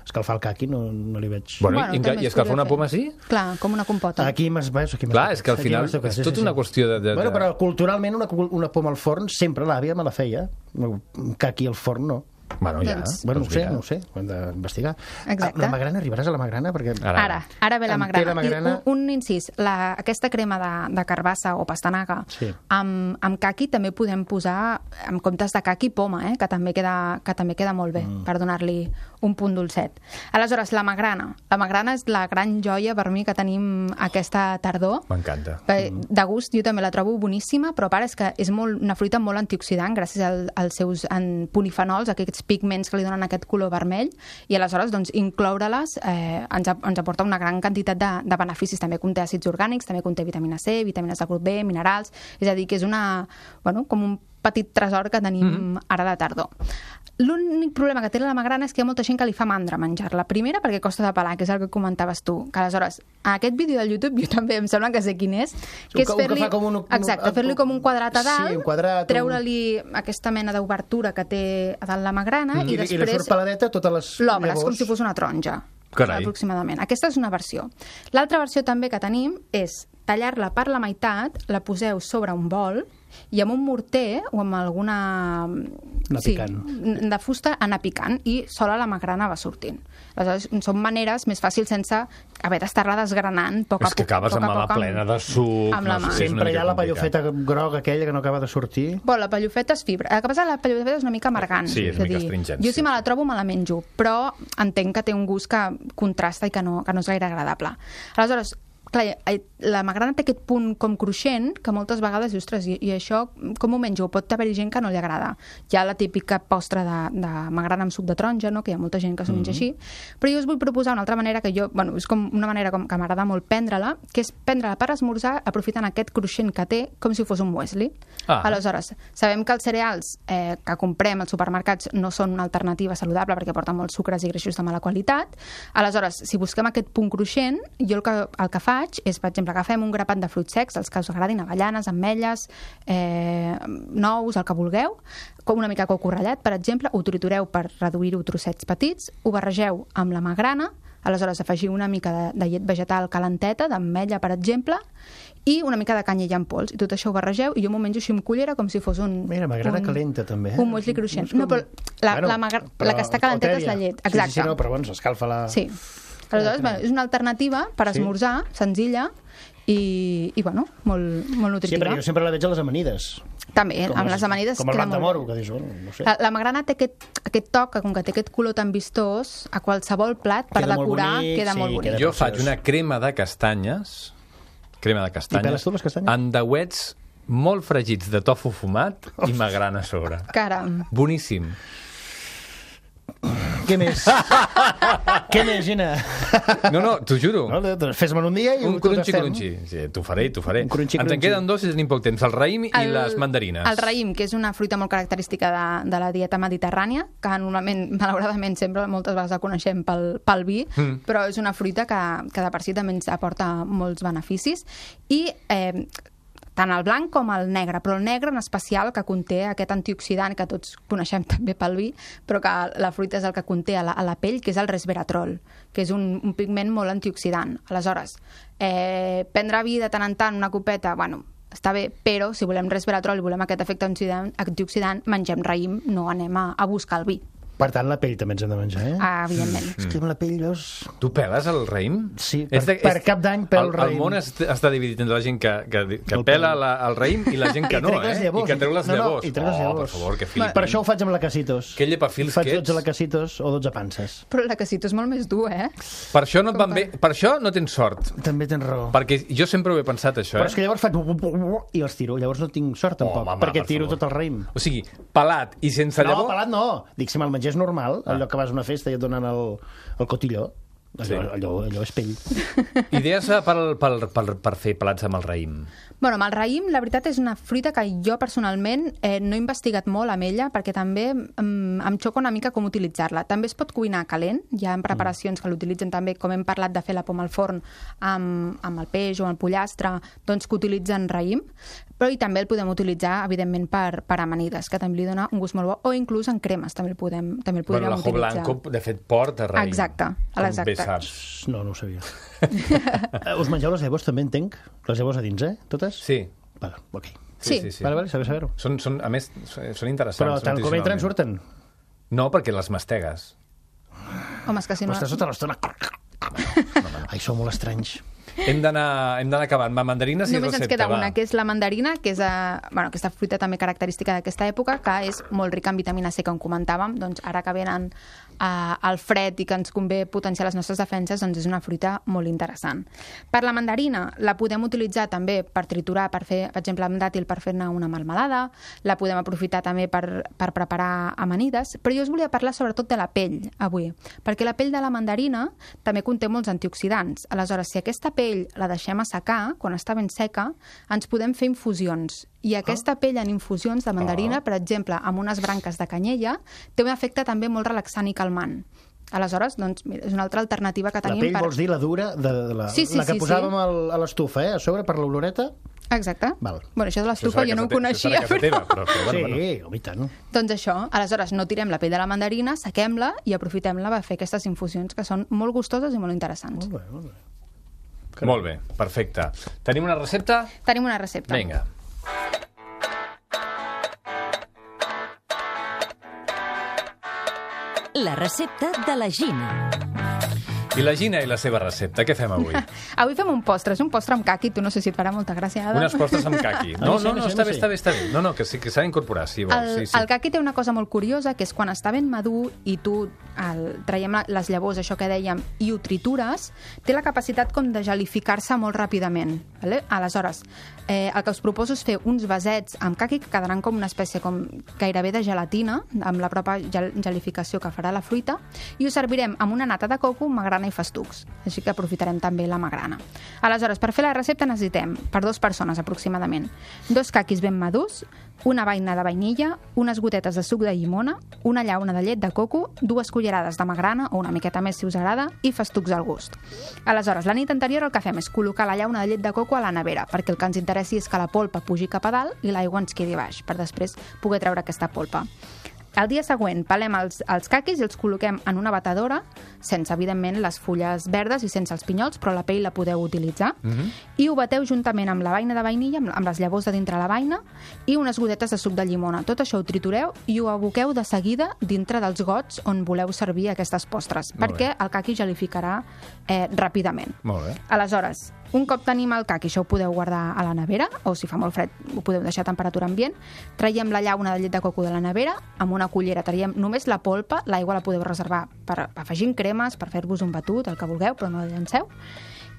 escalfar el caqui no li veig... Bueno, i escalfar una poma, sí? Clar, com una compota. Aquí m'has... Clar, és que al final és tota una qüestió de... Bueno, però culturalment una poma al forn sempre l'àvia me la feia. Un caqui al forn no. Bueno, ja. Bueno, no sé, ho hem d'investigar. Exacte. La magrana, arribaràs a la magrana? Perquè... Ara ve la magrana. I un incís, aquesta crema de carbassa o pastanaga amb caqui també podem posar, en comptes de caqui, poma, que també queda molt bé per donar-li un punt dolcet. Aleshores, la magrana és la gran joia per mi que tenim aquesta tardor. M'encanta. De gust jo també la trobo boníssima, però a part és que és una fruita molt antioxidant gràcies als seus polifenols, aquests pigments que li donen aquest color vermell, i aleshores doncs, incloure-les ens aporta una gran quantitat de beneficis. També conté àcids orgànics, també conté vitamina C, vitamines del grup B, minerals, és a dir, que és com un petit tresor que tenim ara de tardor. L'únic problema que té la magrana és que hi ha molta gent que li fa mandra menjar-la. Primera, perquè costa de pelar, que és el que comentaves tu. Que aleshores, a aquest vídeo del YouTube, jo també em sembla que sé quin és, que és fer-li com un quadrat a dalt, treure-li aquesta mena d'obertura que té a dalt la magrana i després... I li surt peladeta totes les llavors. L'obres com si fos una taronja. Carai. Aproximadament. Aquesta és una versió. L'altra versió també que tenim és tallar-la per la meitat, la poseu sobre un bol i amb un morter o amb alguna... de fusta anar picant i sola la magrana va sortint. Aleshores, són maneres més fàcils sense haver d'estar-la desgranant poc a poc. És que acabes amb la plena de suc. Amb la mà. Sempre hi ha la pallofeta groga aquella que no acaba de sortir. Bueno, la pallofeta és fibra. El que passa és que la pallofeta és una mica amargant. Sí, és una mica astringent. Jo si me la trobo me la menjo, però entenc que té un gust que contrasta i que no és gaire agradable. Aleshores, clar, la magrana té aquest punt com cruixent que moltes vegades dius, ostres, i això com ho menjo? Pot haver-hi gent que no li agrada. Hi ha la típica postre de magrana amb suc de taronja, no? Que hi ha molta gent que s'ho menja així, però jo us vull proposar una altra manera que és com una manera que m'agrada molt prendre-la, que és prendre-la per esmorzar aprofitant aquest cruixent que té com si fos un muesli. Aleshores, sabem que els cereals que comprem als supermercats no són una alternativa saludable perquè porten molts sucres i greixos de mala qualitat. Aleshores, si busquem aquest punt cruixent, jo el que faig és, per exemple, agafem un grapat de fruits secs, els que us agradin, avellanes, ametlles, nous, el que vulgueu, com una mica coco ratllat, per exemple, ho tritureu per reduir-ho a trossets petits, ho barregeu amb la magrana, aleshores afegiu una mica de llet vegetal calenteta, d'ametlla, per exemple, i una mica de canyella en pols. I tot això ho barregeu i jo m'ho menjo així amb cullera com si fos un... Mira, magrana calenta, també. Un muesli cruixent. No, però la que està calenteta és la llet. Exacte. Sí, no, però bueno, s'escalfa la... Sí. Aleshores, és una alternativa per esmorzar, senzilla, i molt nutritiva. Sí, perquè jo sempre la veig a les amanides. També, amb les amanides com el queda blanc de molt moro, bé. que dius, bueno, no sé. La magrana té aquest toc, com que té aquest color tan vistós, a qualsevol plat, per Queda molt decorar, bonic, queda sí, molt bonic. queda Jo preciós. faig una crema de castanyes, I peles tu les castanyes? endeuets molt fregits de tofu fumat i magrana a sobre. Caram. Boníssim. Què més? Què més, Gina? No, t'ho juro. No, fes-me'n un dia i Un ho tastem. crunxi. Sí, t'ho faré. Un crunxi. Ens en queden dos i tenim poc temps. El raïm i les mandarines. El raïm, que és una fruita molt característica de la dieta mediterrània, que normalment, malauradament, sempre moltes vegades la coneixem pel vi, però és una fruita que de per si també ens aporta molts beneficis. I tant el blanc com el negre, però el negre en especial, que conté aquest antioxidant que tots coneixem també pel vi, però que la fruita és el que conté a la pell, que és el resveratrol, que és un pigment molt antioxidant. Aleshores, prendre vi de tant en tant, una copeta, bueno, està bé, però si volem resveratrol i volem aquest efecte antioxidant, mengem raïm, no anem a buscar el vi. Per tant, la pell també ens hem de menjar, Evidentment. És que amb la pell, veus... Tu peles el raïm? Sí, per cap d'any pel raïm. El món està dividit entre la gent que pela el raïm i la gent que no, I que treu les llavors. I treu les llavors. Per favor, que flipin. Per això ho faig amb la Casitos. Que llepafils faig que ets. 12 lacasitos o 12 panses. Però la casita és molt més dur, Per això no et van bé. Per això no tens sort. També tens raó. Perquè jo sempre ho he pensat, això, Però és que llavors faig... i els tiro. Llavors no tinc sort, tampoc, home, perquè per tiro favor. tot el raïm. O sigui, pelat i sense llavor... No, pelat no. Dic, si me'l mengés normal, allò que vas a una festa i et donen el cotilló, allò és pell. Idees per fer pelats amb el raïm? Bueno, amb el raïm, la veritat és una fruita que jo personalment no he investigat molt amb ella perquè també em xoca una mica com utilitzar-la. També es pot cuinar calent, hi ha preparacions que l'utilitzen també, com hem parlat de fer la poma al forn amb el peix o el pollastre, doncs que utilitzen raïm, però i també el podem utilitzar, evidentment, per amanides, que també li dona un gust molt bo, o inclús en cremes també el podríem Bueno, l'ajo utilitzar. blanco, de fet, porta raïm. Exacte, Com bé saps. No ho sabia. Us mengeu les llavors, també entenc? Les llavors a dins, Totes? Sí. Vale, ok. Sí. Vale, saber-ho. A més, són interessants. Però tant com entren, surten. No, perquè les mastegues. Home, és que si no... Estàs tota l'estona... Ai, sou molt estranys. Hem d'anar acabant. Mandarines i Només recepta, ens queda va. una, que és la mandarina, que és aquesta fruita també característica d'aquesta època, que és molt rica en vitamina C, com comentàvem. Doncs ara que venen al fred i que ens convé potenciar les nostres defenses, doncs és una fruita molt interessant. Per la mandarina la podem utilitzar també per triturar, per fer, per exemple, amb dàtil per fer-ne una melmelada, la podem aprofitar també per preparar amanides, però jo us volia parlar sobretot de la pell avui, perquè la pell de la mandarina també conté molts antioxidants. Aleshores, si aquesta pell la deixem assecar, quan està ben seca, ens podem fer infusions. I aquesta pell en infusions de mandarina, per exemple, amb unes branques de canyella, té un efecte també molt relaxant i calmant. Aleshores, doncs, mira, és una altra alternativa que tenim. La pell vols dir la dura, la que posàvem a l'estufa, a sobre, per l'oloreta? Exacte. Val. Bueno, això de l'estufa jo no ho coneixia. Sí, i tant. Doncs això, aleshores no tirem la pell de la mandarina, sequem-la i aprofitem-la per fer aquestes infusions que són molt gustoses i molt interessants. Molt bé, molt bé. Molt bé, perfecte. Tenim una recepta? Tenim una recepta. Vinga. La recepta de la Gina. I la Gina i la seva recepta, què fem avui? Avui fem un postre, és un postre amb caqui, tu no sé si et farà molta gràcia, Adam. Unes postres amb caqui. No, està bé. No, que sí, que s'ha d'incorporar, si vols. El caqui té una cosa molt curiosa, que és quan està ben madur i tu traiem les llavors, això que dèiem, i ho tritures, té la capacitat com de gelificar-se molt ràpidament. Vale? Aleshores, el que us proposo és fer uns vasets amb caqui que quedaran com una espècie com gairebé de gelatina, amb la pròpia gelificació que farà la fruita, i ho servirem amb una nata de coco, magrana i festucs. Així que aprofitarem també la magrana. Aleshores, per fer la recepta necessitem, per 2 persones aproximadament, 2 caquis ben madurs, una beina de vainilla, unes gotetes de suc de llimona, una llauna de llet de coco, 2 cullerades de magrana, o una miqueta més si us agrada, i festucs al gust. Aleshores, la nit anterior el que fem és col·locar la llauna de llet de coco a la nevera, perquè el que ens interessi és que la polpa pugi cap a dalt i l'aigua ens quedi baix, per després poder treure aquesta polpa. El dia següent pelem els caquis i els col·loquem en una batedora, sense, evidentment, les fulles verdes i sense els pinyols, però la pell la podeu utilitzar, i ho bateu juntament amb la beina de vainilla, amb les llavors de dintre la beina, i unes gotetes de suc de llimona. Tot això ho tritureu i ho aboqueu de seguida dintre dels gots on voleu servir aquestes postres, perquè el caqui gelificarà ràpidament. Molt bé. Aleshores, Un cop tenim el caqui, això ho podeu guardar a la nevera, o si fa molt fred ho podeu deixar a temperatura ambient. Traiem la llauna de llet de coco de la nevera, amb una cullera traiem només la polpa, l'aigua la podeu reservar per afegir cremes, per fer-vos un batut, el que vulgueu, però no la llanceu.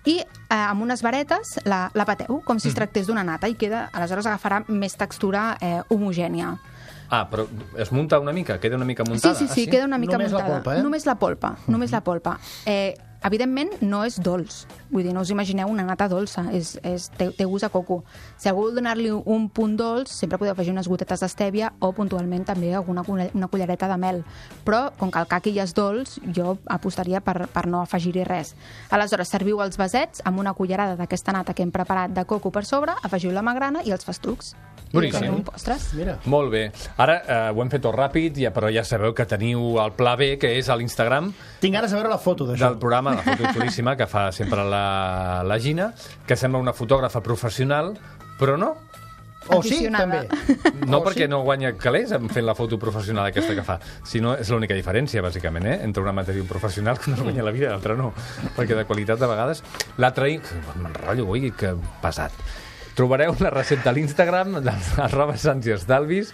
I amb unes varetes la bateu, com si es tractés d'una nata, i aleshores agafarà més textura homogènia. Però es munta una mica? Queda una mica muntada? Sí, queda una mica muntada. Només la polpa, Només la polpa, només la polpa. Evidentment, no és dolç. Vull dir, no us imagineu una nata dolça. Té gust a coco. Si algú vol donar-li un punt dolç, sempre podeu afegir unes gotetes d'estèvia o, puntualment, també una cullereta de mel. Però, com que el caqui ja és dolç, jo apostaria per no afegir-hi res. Aleshores, serviu els vasets amb una cullerada d'aquesta nata que hem preparat de coco per sobre, afegiu la magrana i els festucs. Boníssim. Mira. Molt bé. Ara ho hem fet tot ràpid, però ja sabeu que teniu el pla B, que és a l'Instagram Tinc ganes de veure la foto d'això. del programa, la foto xulíssima que fa sempre la Gina, que sembla una fotògrafa professional, però no. O sí, Aficionada. també. No perquè no guanya calés fent la foto professional aquesta que fa, sinó és l'única diferència, bàsicament, entre un amateur i un professional, que no es guanya la vida, l'altre no, perquè de qualitat de vegades... L'altre, m'enrotllo, ui, que pesat. Trobareu la recepta a l'Instagram, @Sants-i-Estalvis,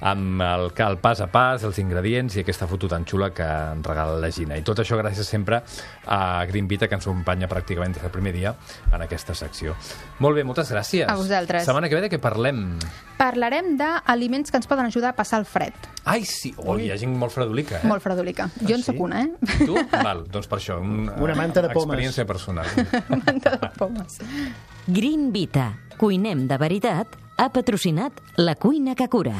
amb el pas a pas, els ingredients i aquesta foto tan xula que ens regala la Gina. I tot això gràcies sempre a Green Vita, que ens acompanya pràcticament des del primer dia en aquesta secció. Molt bé, moltes gràcies. A vosaltres. Setmana que ve de què parlem? Parlarem d'aliments que ens poden ajudar a passar el fred. Ai, sí. Hi ha gent molt fredolica, Molt fredolica. Jo en soc una, Tu? Val, doncs per això. Una manta de pomes. Experiència personal. Manta de pomes. Green Vita, cuinem de veritat, ha patrocinat La Cuina que Cura.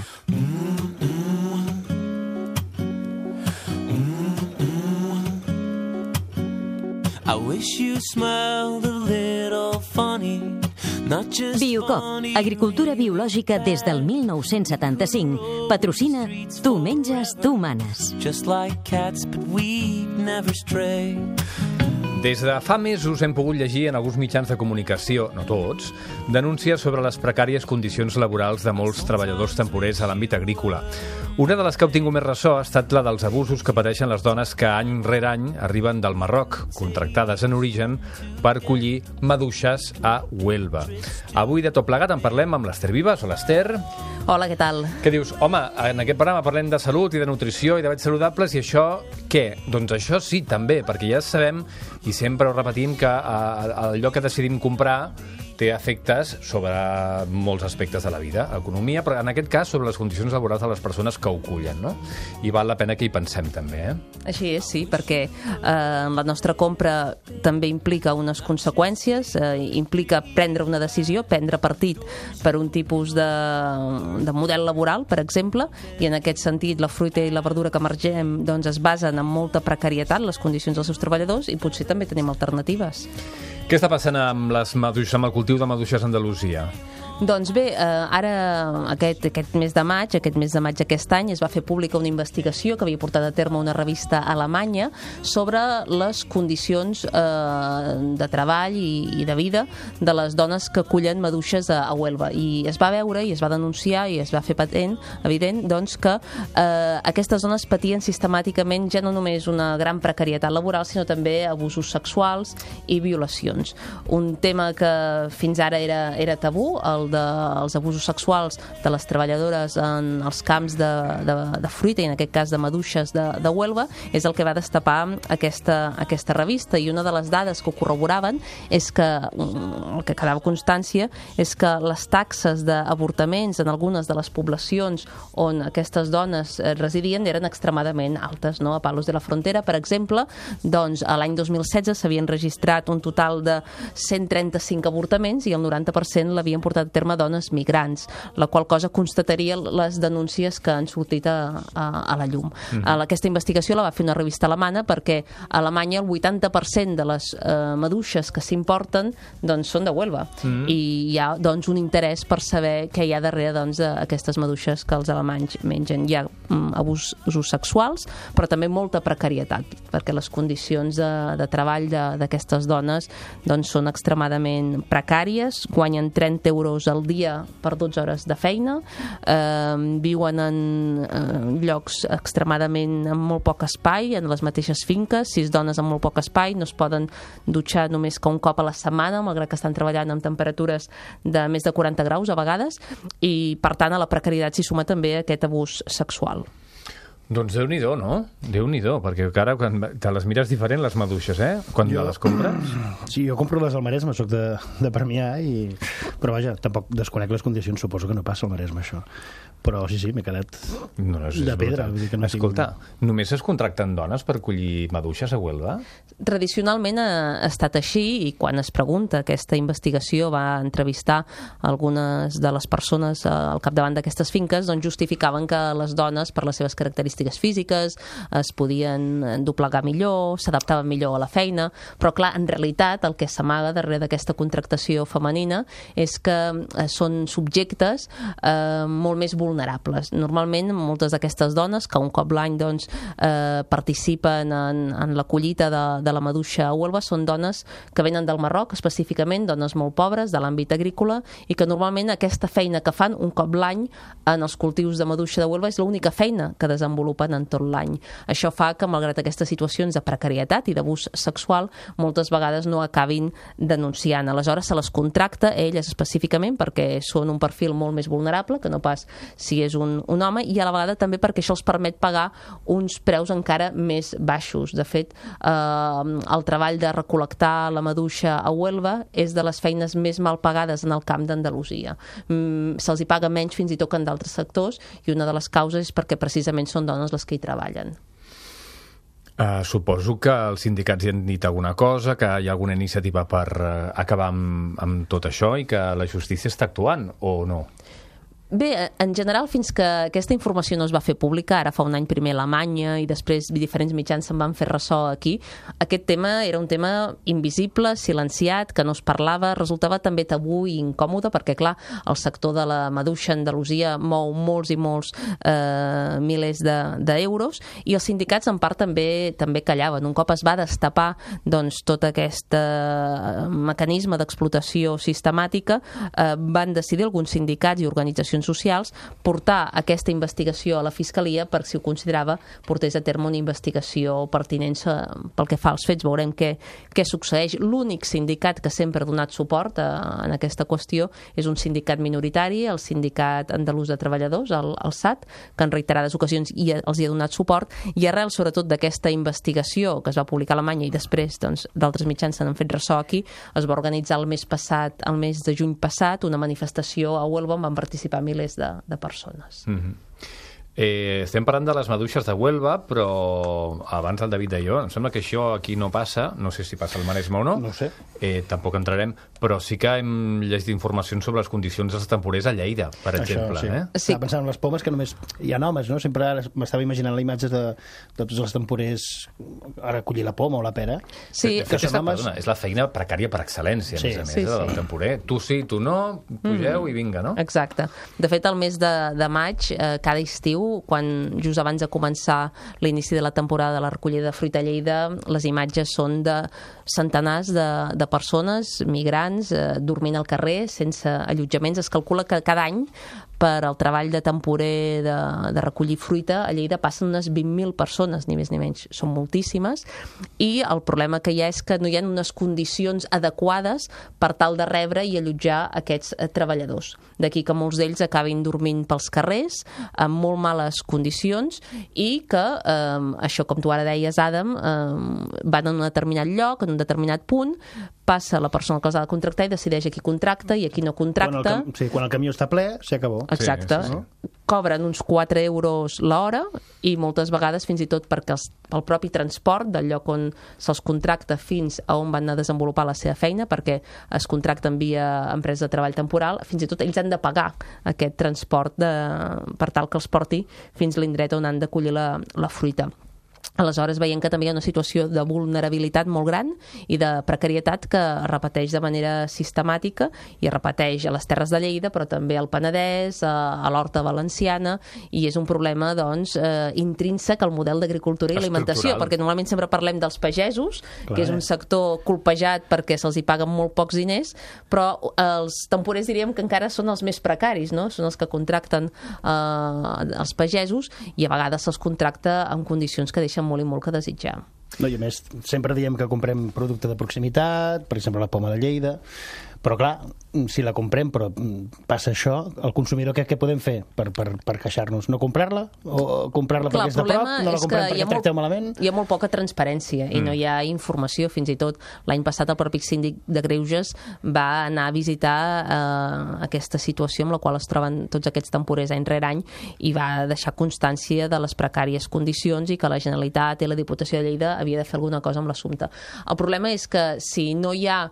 I wish you smiled a little funny, not just Biocop, funny. agricultura biològica des del 1975. Patrocina Tu menges, tu manes. Just like cats, but we never stray. Des de fa mesos hem pogut llegir en alguns mitjans de comunicació, no tots, denúncies sobre les precàries condicions laborals de molts treballadors temporers a l'àmbit agrícola. Una de les que ha obtingut més ressò ha estat la dels abusos que pateixen les dones que any rere any arriben del Marroc, contractades en origen per collir maduixes a Huelva. Avui de tot plegat en parlem amb l'Ester Vives. Hola, Ester. Hola, què tal? Què dius? Home, en aquest programa parlem de salut i de nutrició i d'hàbits saludables, i això què? Doncs això sí, també, perquè ja sabem i sempre ho repetim que allò que decidim comprar té efectes sobre molts aspectes de la vida, economia, però en aquest cas sobre les condicions laborals de les persones que ho cullen, no? I val la pena que hi pensem també, Així és, sí, perquè la nostra compra també implica unes conseqüències, implica prendre una decisió, prendre partit per un tipus de model laboral, per exemple, i en aquest sentit la fruita i la verdura que emergem doncs, es basen en molta precarietat, les condicions dels seus treballadors, i potser també tenim alternatives. Què està passant amb el cultiu de maduixes a Andalusia? Doncs bé, ara aquest mes de maig d'aquest any es va fer pública una investigació que havia portat a terme una revista alemanya sobre les condicions de treball i de vida de les dones que cullen maduixes a Huelva. I es va veure i es va denunciar i es va fer evident doncs, que aquestes dones patien sistemàticament ja no només una gran precarietat laboral, sinó també abusos sexuals i violacions. Un tema que fins ara era tabú, el dels abusos sexuals de les treballadores en els camps de fruita, i en aquest cas de maduixes de Huelva, és el que va destapar aquesta revista. I una de les dades que ho corroboraven és que, el que quedava constància, és que les taxes d'avortaments en algunes de les poblacions on aquestes dones residien eren extremadament altes, no? A Palos de la Frontera, per exemple, doncs a l'any 2016 s'havien registrat un total de 135 avortaments i el 90% l'havien portat a terme dones migrants, la qual cosa constataria les denúncies que han sortit a la llum. Aquesta investigació la va fer una revista alemana perquè a Alemanya el 80% de les maduixes que s'importen doncs, són de Huelva, i hi ha doncs, un interès per saber què hi ha darrere d'aquestes maduixes que els alemanys mengen. Hi ha abusos sexuals, però també molta precarietat, perquè les condicions de treball d'aquestes dones doncs, són extremadament precàries, guanyen 30 euros al dia per 12 hores de feina, viuen en llocs extremadament amb molt poc espai, en les mateixes finques, 6 dones amb molt poc espai, no es poden dutxar només que un cop a la setmana, malgrat que estan treballant amb temperatures de més de 40 graus a vegades, i per tant a la precarietat s'hi suma també aquest abús sexual. Doncs Déu-n'hi-do, no? Déu-n'hi-do, perquè ara quan te les mires diferent, les maduixes, quan les compres. Sí, jo compro les al Maresme, soc de Premià, però vaja, tampoc desconec les condicions, suposo que no passa al Maresme, això. Però sí, m'he quedat de pedra. Escolta, només es contracten dones per collir maduixes a Huelva? Tradicionalment ha estat així, i quan es pregunta, aquesta investigació va entrevistar algunes de les persones al capdavant d'aquestes finques, doncs justificaven que les dones, per les seves característiques físiques, es podien doblegar millor, s'adaptaven millor a la feina, però clar, en realitat el que s'amaga darrere d'aquesta contractació femenina és que són subjectes molt més vulnerables. Normalment, moltes d'aquestes dones que un cop l'any participen en la collita de la maduixa a Huelva són dones que venen del Marroc, específicament, dones molt pobres de l'àmbit agrícola, i que normalment aquesta feina que fan un cop l'any en els cultius de maduixa de Huelva és l'única feina que desenvolupen en tot l'any. Això fa que, malgrat aquestes situacions de precarietat i d'abús sexual, moltes vegades no acabin denunciant. Aleshores, se les contracta elles específicament perquè són un perfil molt més vulnerable que no pas si és un home, i a la vegada també perquè això els permet pagar uns preus encara més baixos. De fet, el treball de recol·lectar la maduixa a Huelva és de les feines més mal pagades en el camp d'Andalusia. Se'ls hi paga menys fins i tot que en d'altres sectors, i una de les causes és perquè precisament són dones les que hi treballen. Suposo que els sindicats hi han dit alguna cosa, que hi ha alguna iniciativa per acabar amb tot això i que la justícia està actuant, o no? Bé, en general, fins que aquesta informació no es va fer pública, ara fa un any primer a Alemanya i després diferents mitjans se'n van fer ressò aquí, aquest tema era un tema invisible, silenciat, que no es parlava, resultava també tabú i incòmode perquè, clar, el sector de la maduixa a Andalusia mou molts i molts milers d'euros, i els sindicats en part també callaven. Un cop es va destapar tot aquest mecanisme d'explotació sistemàtica, van decidir alguns sindicats i organitzacions socials portar aquesta investigació a la Fiscalia per, si ho considerava, portés a terme una investigació pertinent pel que fa als fets. Veurem què succeeix. L'únic sindicat que sempre ha donat suport en aquesta qüestió és un sindicat minoritari, el Sindicat Andalús de Treballadors, el SAT, que en reiterades ocasions els hi ha donat suport, i arrel sobretot d'aquesta investigació que es va publicar a Alemanya i després d'altres mitjans s'han fet ressò aquí, es va organitzar el mes de juny passat, una manifestació a Huelva on van participar milers de persones. Estem parlant de les maduixes de Huelva, però abans el David deia, em sembla que això aquí no passa, no sé si passa al Maresme o no, no sé. Tampoc entrarem, però sí que hem llegit informacions sobre les condicions dels temporers a Lleida, per exemple. Sí. Estava pensant en les pomes, que només hi ha homes, no? Sempre m'estava imaginant la imatge de tots els temporers ara collir la poma o la pera. Sí. De fet, és la feina precària per excel·lència, a més a més, del temporer. Tu sí, tu no, pugeu i vinga, no? Exacte. De fet, el mes de maig, cada estiu, quan just abans de començar l'inici de la temporada de la recollida de fruita a Lleida, les imatges són de centenars de persones, migrants, dormint al carrer, sense allotjaments. Es calcula que cada any per al treball de temporer de recollir fruita a Lleida passen unes 20.000 persones, ni més ni menys. Són moltíssimes, i el problema que hi ha és que no hi ha unes condicions adequades per tal de rebre i allotjar aquests treballadors. D'aquí que molts d'ells acabin dormint pels carrers, amb molt males condicions, i que això, com tu ara deies, Adam, van en un determinat lloc, en un determinat punt, passa la persona que els ha de contractar i decideix a qui contracta i a qui no contracta. Quan el camió està ple, s'acabó. Exacte. Sí. Cobren uns 4 euros l'hora, i moltes vegades fins i tot perquè el propi transport del lloc on se'ls contracta fins a on van a desenvolupar la seva feina, perquè es contracten via empresa de treball temporal, fins i tot ells han de pagar aquest transport per tal que els porti fins a l'indret on han de collir la fruita. Aleshores veiem que també hi ha una situació de vulnerabilitat molt gran i de precarietat que es repeteix de manera sistemàtica i es repeteix a les Terres de Lleida, però també al Penedès, a l'Horta Valenciana, i és un problema doncs, intrínsec al model d'agricultura i alimentació, perquè normalment sempre parlem dels pagesos, que és un sector colpejat perquè se'ls hi paguen molt pocs diners, però els temporers diríem que encara són els més precaris, no? Són els que contracten els pagesos i a vegades se'ls contracta en condicions que deixen molt i molt que desitjar. No, i a més, sempre diem que comprem producte de proximitat, per exemple la poma de Lleida, però clar, si la comprem però passa això, el consumidor què podem fer per queixar-nos? No comprar-la? O comprar-la perquè és de prop? No la comprem perquè tracteu malament? Hi ha molt poca transparència i no hi ha informació. Fins i tot l'any passat el propi síndic de Greuges va anar a visitar aquesta situació amb la qual es troben tots aquests temporers any rere any i va deixar constància de les precàries condicions i que la Generalitat i la Diputació de Lleida havia de fer alguna cosa amb l'assumpte. El problema és que si no hi ha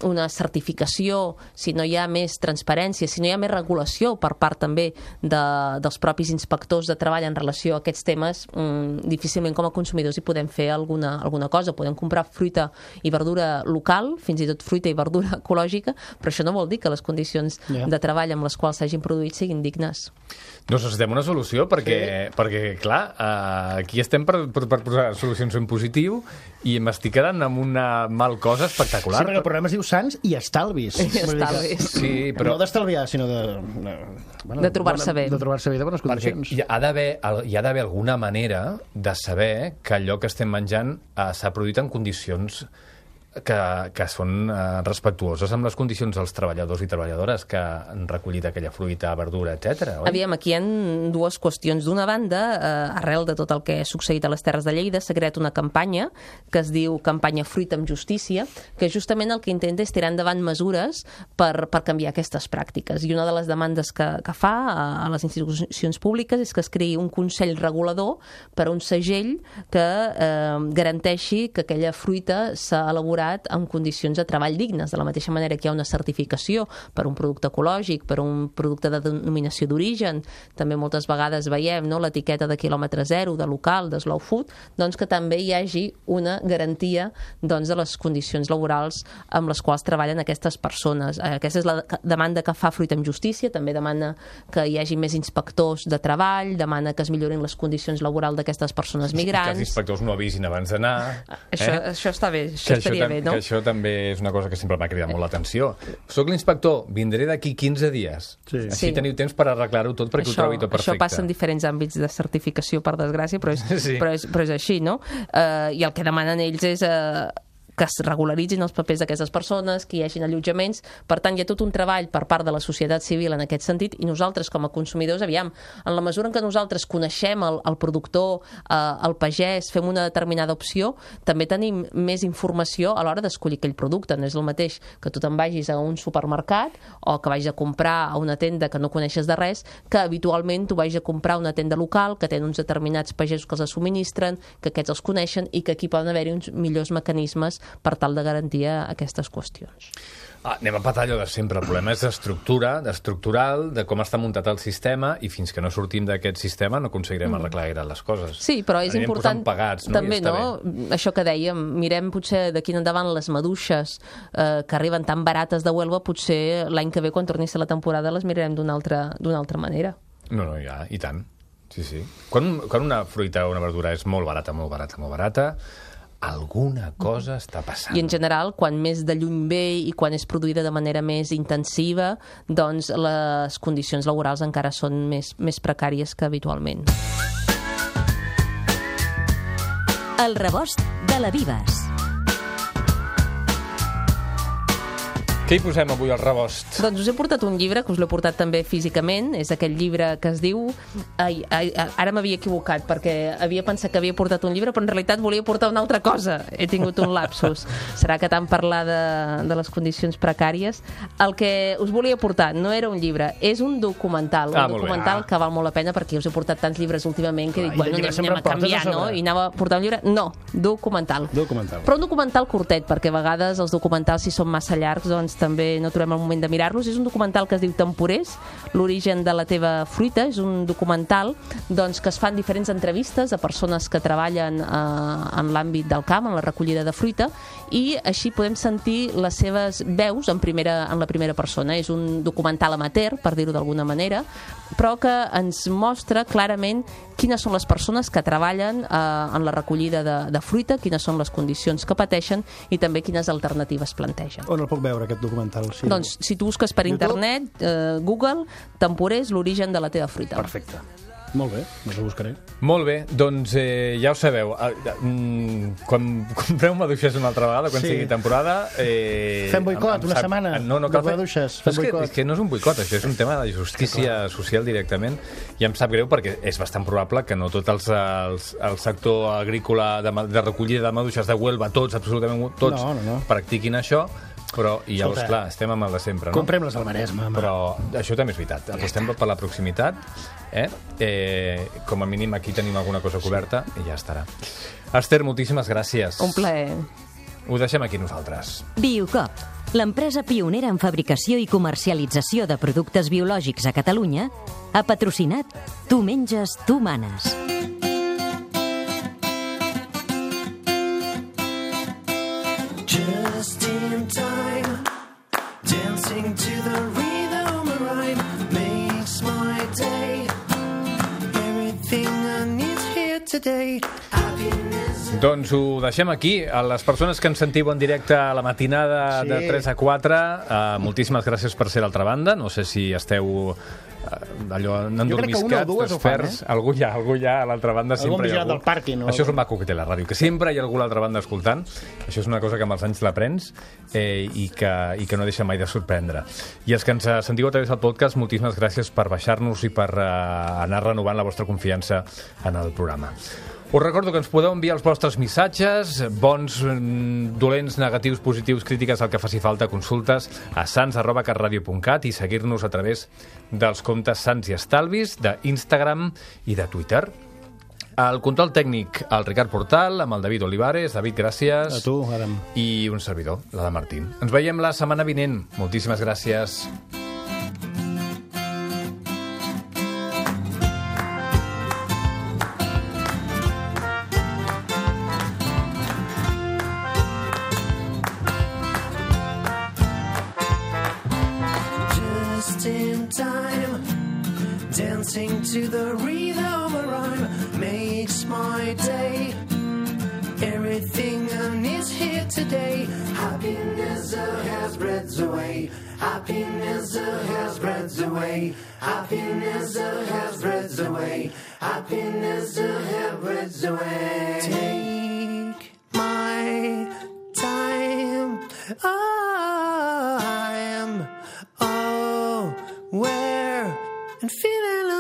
una certificació, si no hi ha més transparència, si no hi ha més regulació per part també dels propis inspectors de treball en relació a aquests temes, difícilment com a consumidors hi podem fer alguna cosa. Podem comprar fruita i verdura local, fins i tot fruita i verdura ecològica, però això no vol dir que les condicions de treball amb les quals s'hagin produït siguin dignes. No, necessitem una solució perquè clar, aquí estem per posar solucions en positiu i m'estic quedant amb una mal cosa espectacular. Sí, perquè el programa es diu Sants i Estalvis. Sí, però... No d'estalviar, sinó de trobar-se bé. De trobar-se bé de bones condicions. Hi ha d'haver alguna manera de saber que allò que estem menjant s'ha produït en condicions que són respectuoses amb les condicions dels treballadors i treballadores que han recollit aquella fruita, verdura, etc. Aviam, aquí hi ha dues qüestions. D'una banda, arrel de tot el que ha succeït a les Terres de Lleida, s'ha creat una campanya que es diu Campanya Fruita amb Justícia, que justament el que intenta és tirar endavant mesures per canviar aquestes pràctiques. I una de les demandes que fa a les institucions públiques és que es creï un consell regulador per a un segell que garanteixi que aquella fruita s'ha elaborat en condicions de treball dignes, de la mateixa manera que hi ha una certificació per un producte ecològic, per un producte de denominació d'origen, també moltes vegades veiem l'etiqueta de quilòmetre zero, de local, de slow food, doncs que també hi hagi una garantia de les condicions laborals amb les quals treballen aquestes persones. Aquesta és la demanda que fa Fruita amb Justícia, també demana que hi hagi més inspectors de treball, demana que es millorin les condicions laborals d'aquestes persones migrants. Que els inspectors no avisin abans d'anar. Això està bé, això estaria bé. No? Que això també és una cosa que sempre m'ha cridat molt l'atenció. Soc l'inspector, vindré d'aquí 15 dies. Així teniu temps per arreglar-ho tot perquè ho trobi tot perfecte. Això passa en diferents àmbits de certificació, per desgràcia, però és així, no? I el que demanen ells és que es regularitzin els papers d'aquestes persones, que hi hagin allotjaments. Per tant, hi ha tot un treball per part de la societat civil en aquest sentit, i nosaltres, com a consumidors, aviam, en la mesura en què nosaltres coneixem el productor, el pagès, fem una determinada opció, també tenim més informació a l'hora d'escollir aquell producte. No és el mateix que tu te'n vagis a un supermercat o que vagis a comprar a una tenda que no coneixes de res, que habitualment tu vagis a comprar a una tenda local, que tenen uns determinats pagesos que els subministren, que aquests els coneixen i que aquí poden haver-hi uns millors mecanismes per tal de garantir aquestes qüestions. Anem a patar allò de sempre. El problema és estructural, de com està muntat el sistema, i fins que no sortim d'aquest sistema no aconseguirem arreglar gaire les coses. Sí, però és important pagats, també, no? Això que dèiem, mirem potser d'aquí endavant les maduixes que arriben tan barates de Huelva, potser l'any que ve, quan torni a ser la temporada, les mirarem d'una altra manera. No, ja, i tant. Sí. Quan una fruita o una verdura és molt barata, alguna cosa està passant. I en general, quan més de lluny ve i quan és produïda de manera més intensiva, doncs les condicions laborals encara són més precàries que habitualment. El rebost de la Vives. Què hi posem avui al rebost? Doncs us he portat un llibre, que us l'he portat també físicament. És aquell llibre que es diu... Ara m'havia equivocat, perquè havia pensat que havia portat un llibre, però en realitat volia portar una altra cosa. He tingut un lapsus. Serà que tant parlar de les condicions precàries. El que us volia portar no era un llibre, és un documental. Un documental que val molt la pena, perquè us he portat tants llibres últimament que dic, bueno, anem a canviar, no? I anava a portar un llibre. No, documental. Però un documental curtet, perquè a vegades els documentals, si són massa llargs, doncs també no trobem el moment de mirar-los. És un documental que es diu Temporers, l'origen de la teva fruita. És un documental doncs, que es fan diferents entrevistes a persones que treballen en l'àmbit del camp, en la recollida de fruita, i així podem sentir les seves veus en la primera persona. És un documental amateur, per dir-ho d'alguna manera, però que ens mostra clarament quines són les persones que treballen en la recollida de fruita, quines són les condicions que pateixen i també quines alternatives plantegen. On el puc veure, aquest documental? Sí. Doncs, si tu busques per internet, Google, Temporers, l'origen de la teva fruita. Perfecte. Molt bé, doncs ho buscaré. Molt bé, doncs ja ho sabeu. Quan compreu maduixes una altra vegada, quan sigui temporada... Fem boicot, una setmana. No cal fer... maduixes, és que no és un boicot, això és un tema de justícia social directament, i em sap greu perquè és bastant probable que no tot el sector agrícola de recollida de maduixes de Huelva, absolutament tots, practiquin això. Però, i llavors, clar, estem amb el de sempre, no? Comprem-les al Maresme. Però això també és veritat. Apostem per la proximitat, com a mínim aquí tenim alguna cosa coberta i ja estarà. Esther, moltíssimes gràcies. Un plaer. Ho deixem aquí nosaltres. Biocop, l'empresa pionera en fabricació i comercialització de productes biològics a Catalunya, ha patrocinat Tu menges, tu manes. Just in time, dancing to the rhythm of rhyme makes my day. Everything I need here today. Doncs ho deixem aquí. A les persones que ens sentiu en directe a la matinada de 3 a 4, moltíssimes gràcies per ser a l'altra banda. No sé si esteu allò endormiscats, desperts. Algú hi ha a l'altra banda. Sempre hi ha algú. Això és el maco que té la ràdio, que sempre hi ha algú a l'altra banda escoltant. Això és una cosa que amb els anys l'aprens i que no deixa mai de sorprendre. I els que ens sentiu a través del podcast, moltíssimes gràcies per baixar-nos i per anar renovant la vostra confiança en el programa. Us recordo que ens podeu enviar els vostres missatges, bons, dolents, negatius, positius, crítiques, el que faci falta, consultes a sans@catradio.cat i seguir-nos a través dels comptes Sants i Estalvis d'Instagram i de Twitter. El control tècnic, el Ricard Portal, amb el David Olivares. David, gràcies. A tu, Adam. I un servidor, l'Adam Martín. Ens veiem la setmana vinent. Moltíssimes gràcies. Dancing to the rhythm of rhyme makes my day. Everything I need here today. Happiness has spread away. Happiness has spread away. Happiness has spread away. Happiness has spread away. Take my time. I am aware and feeling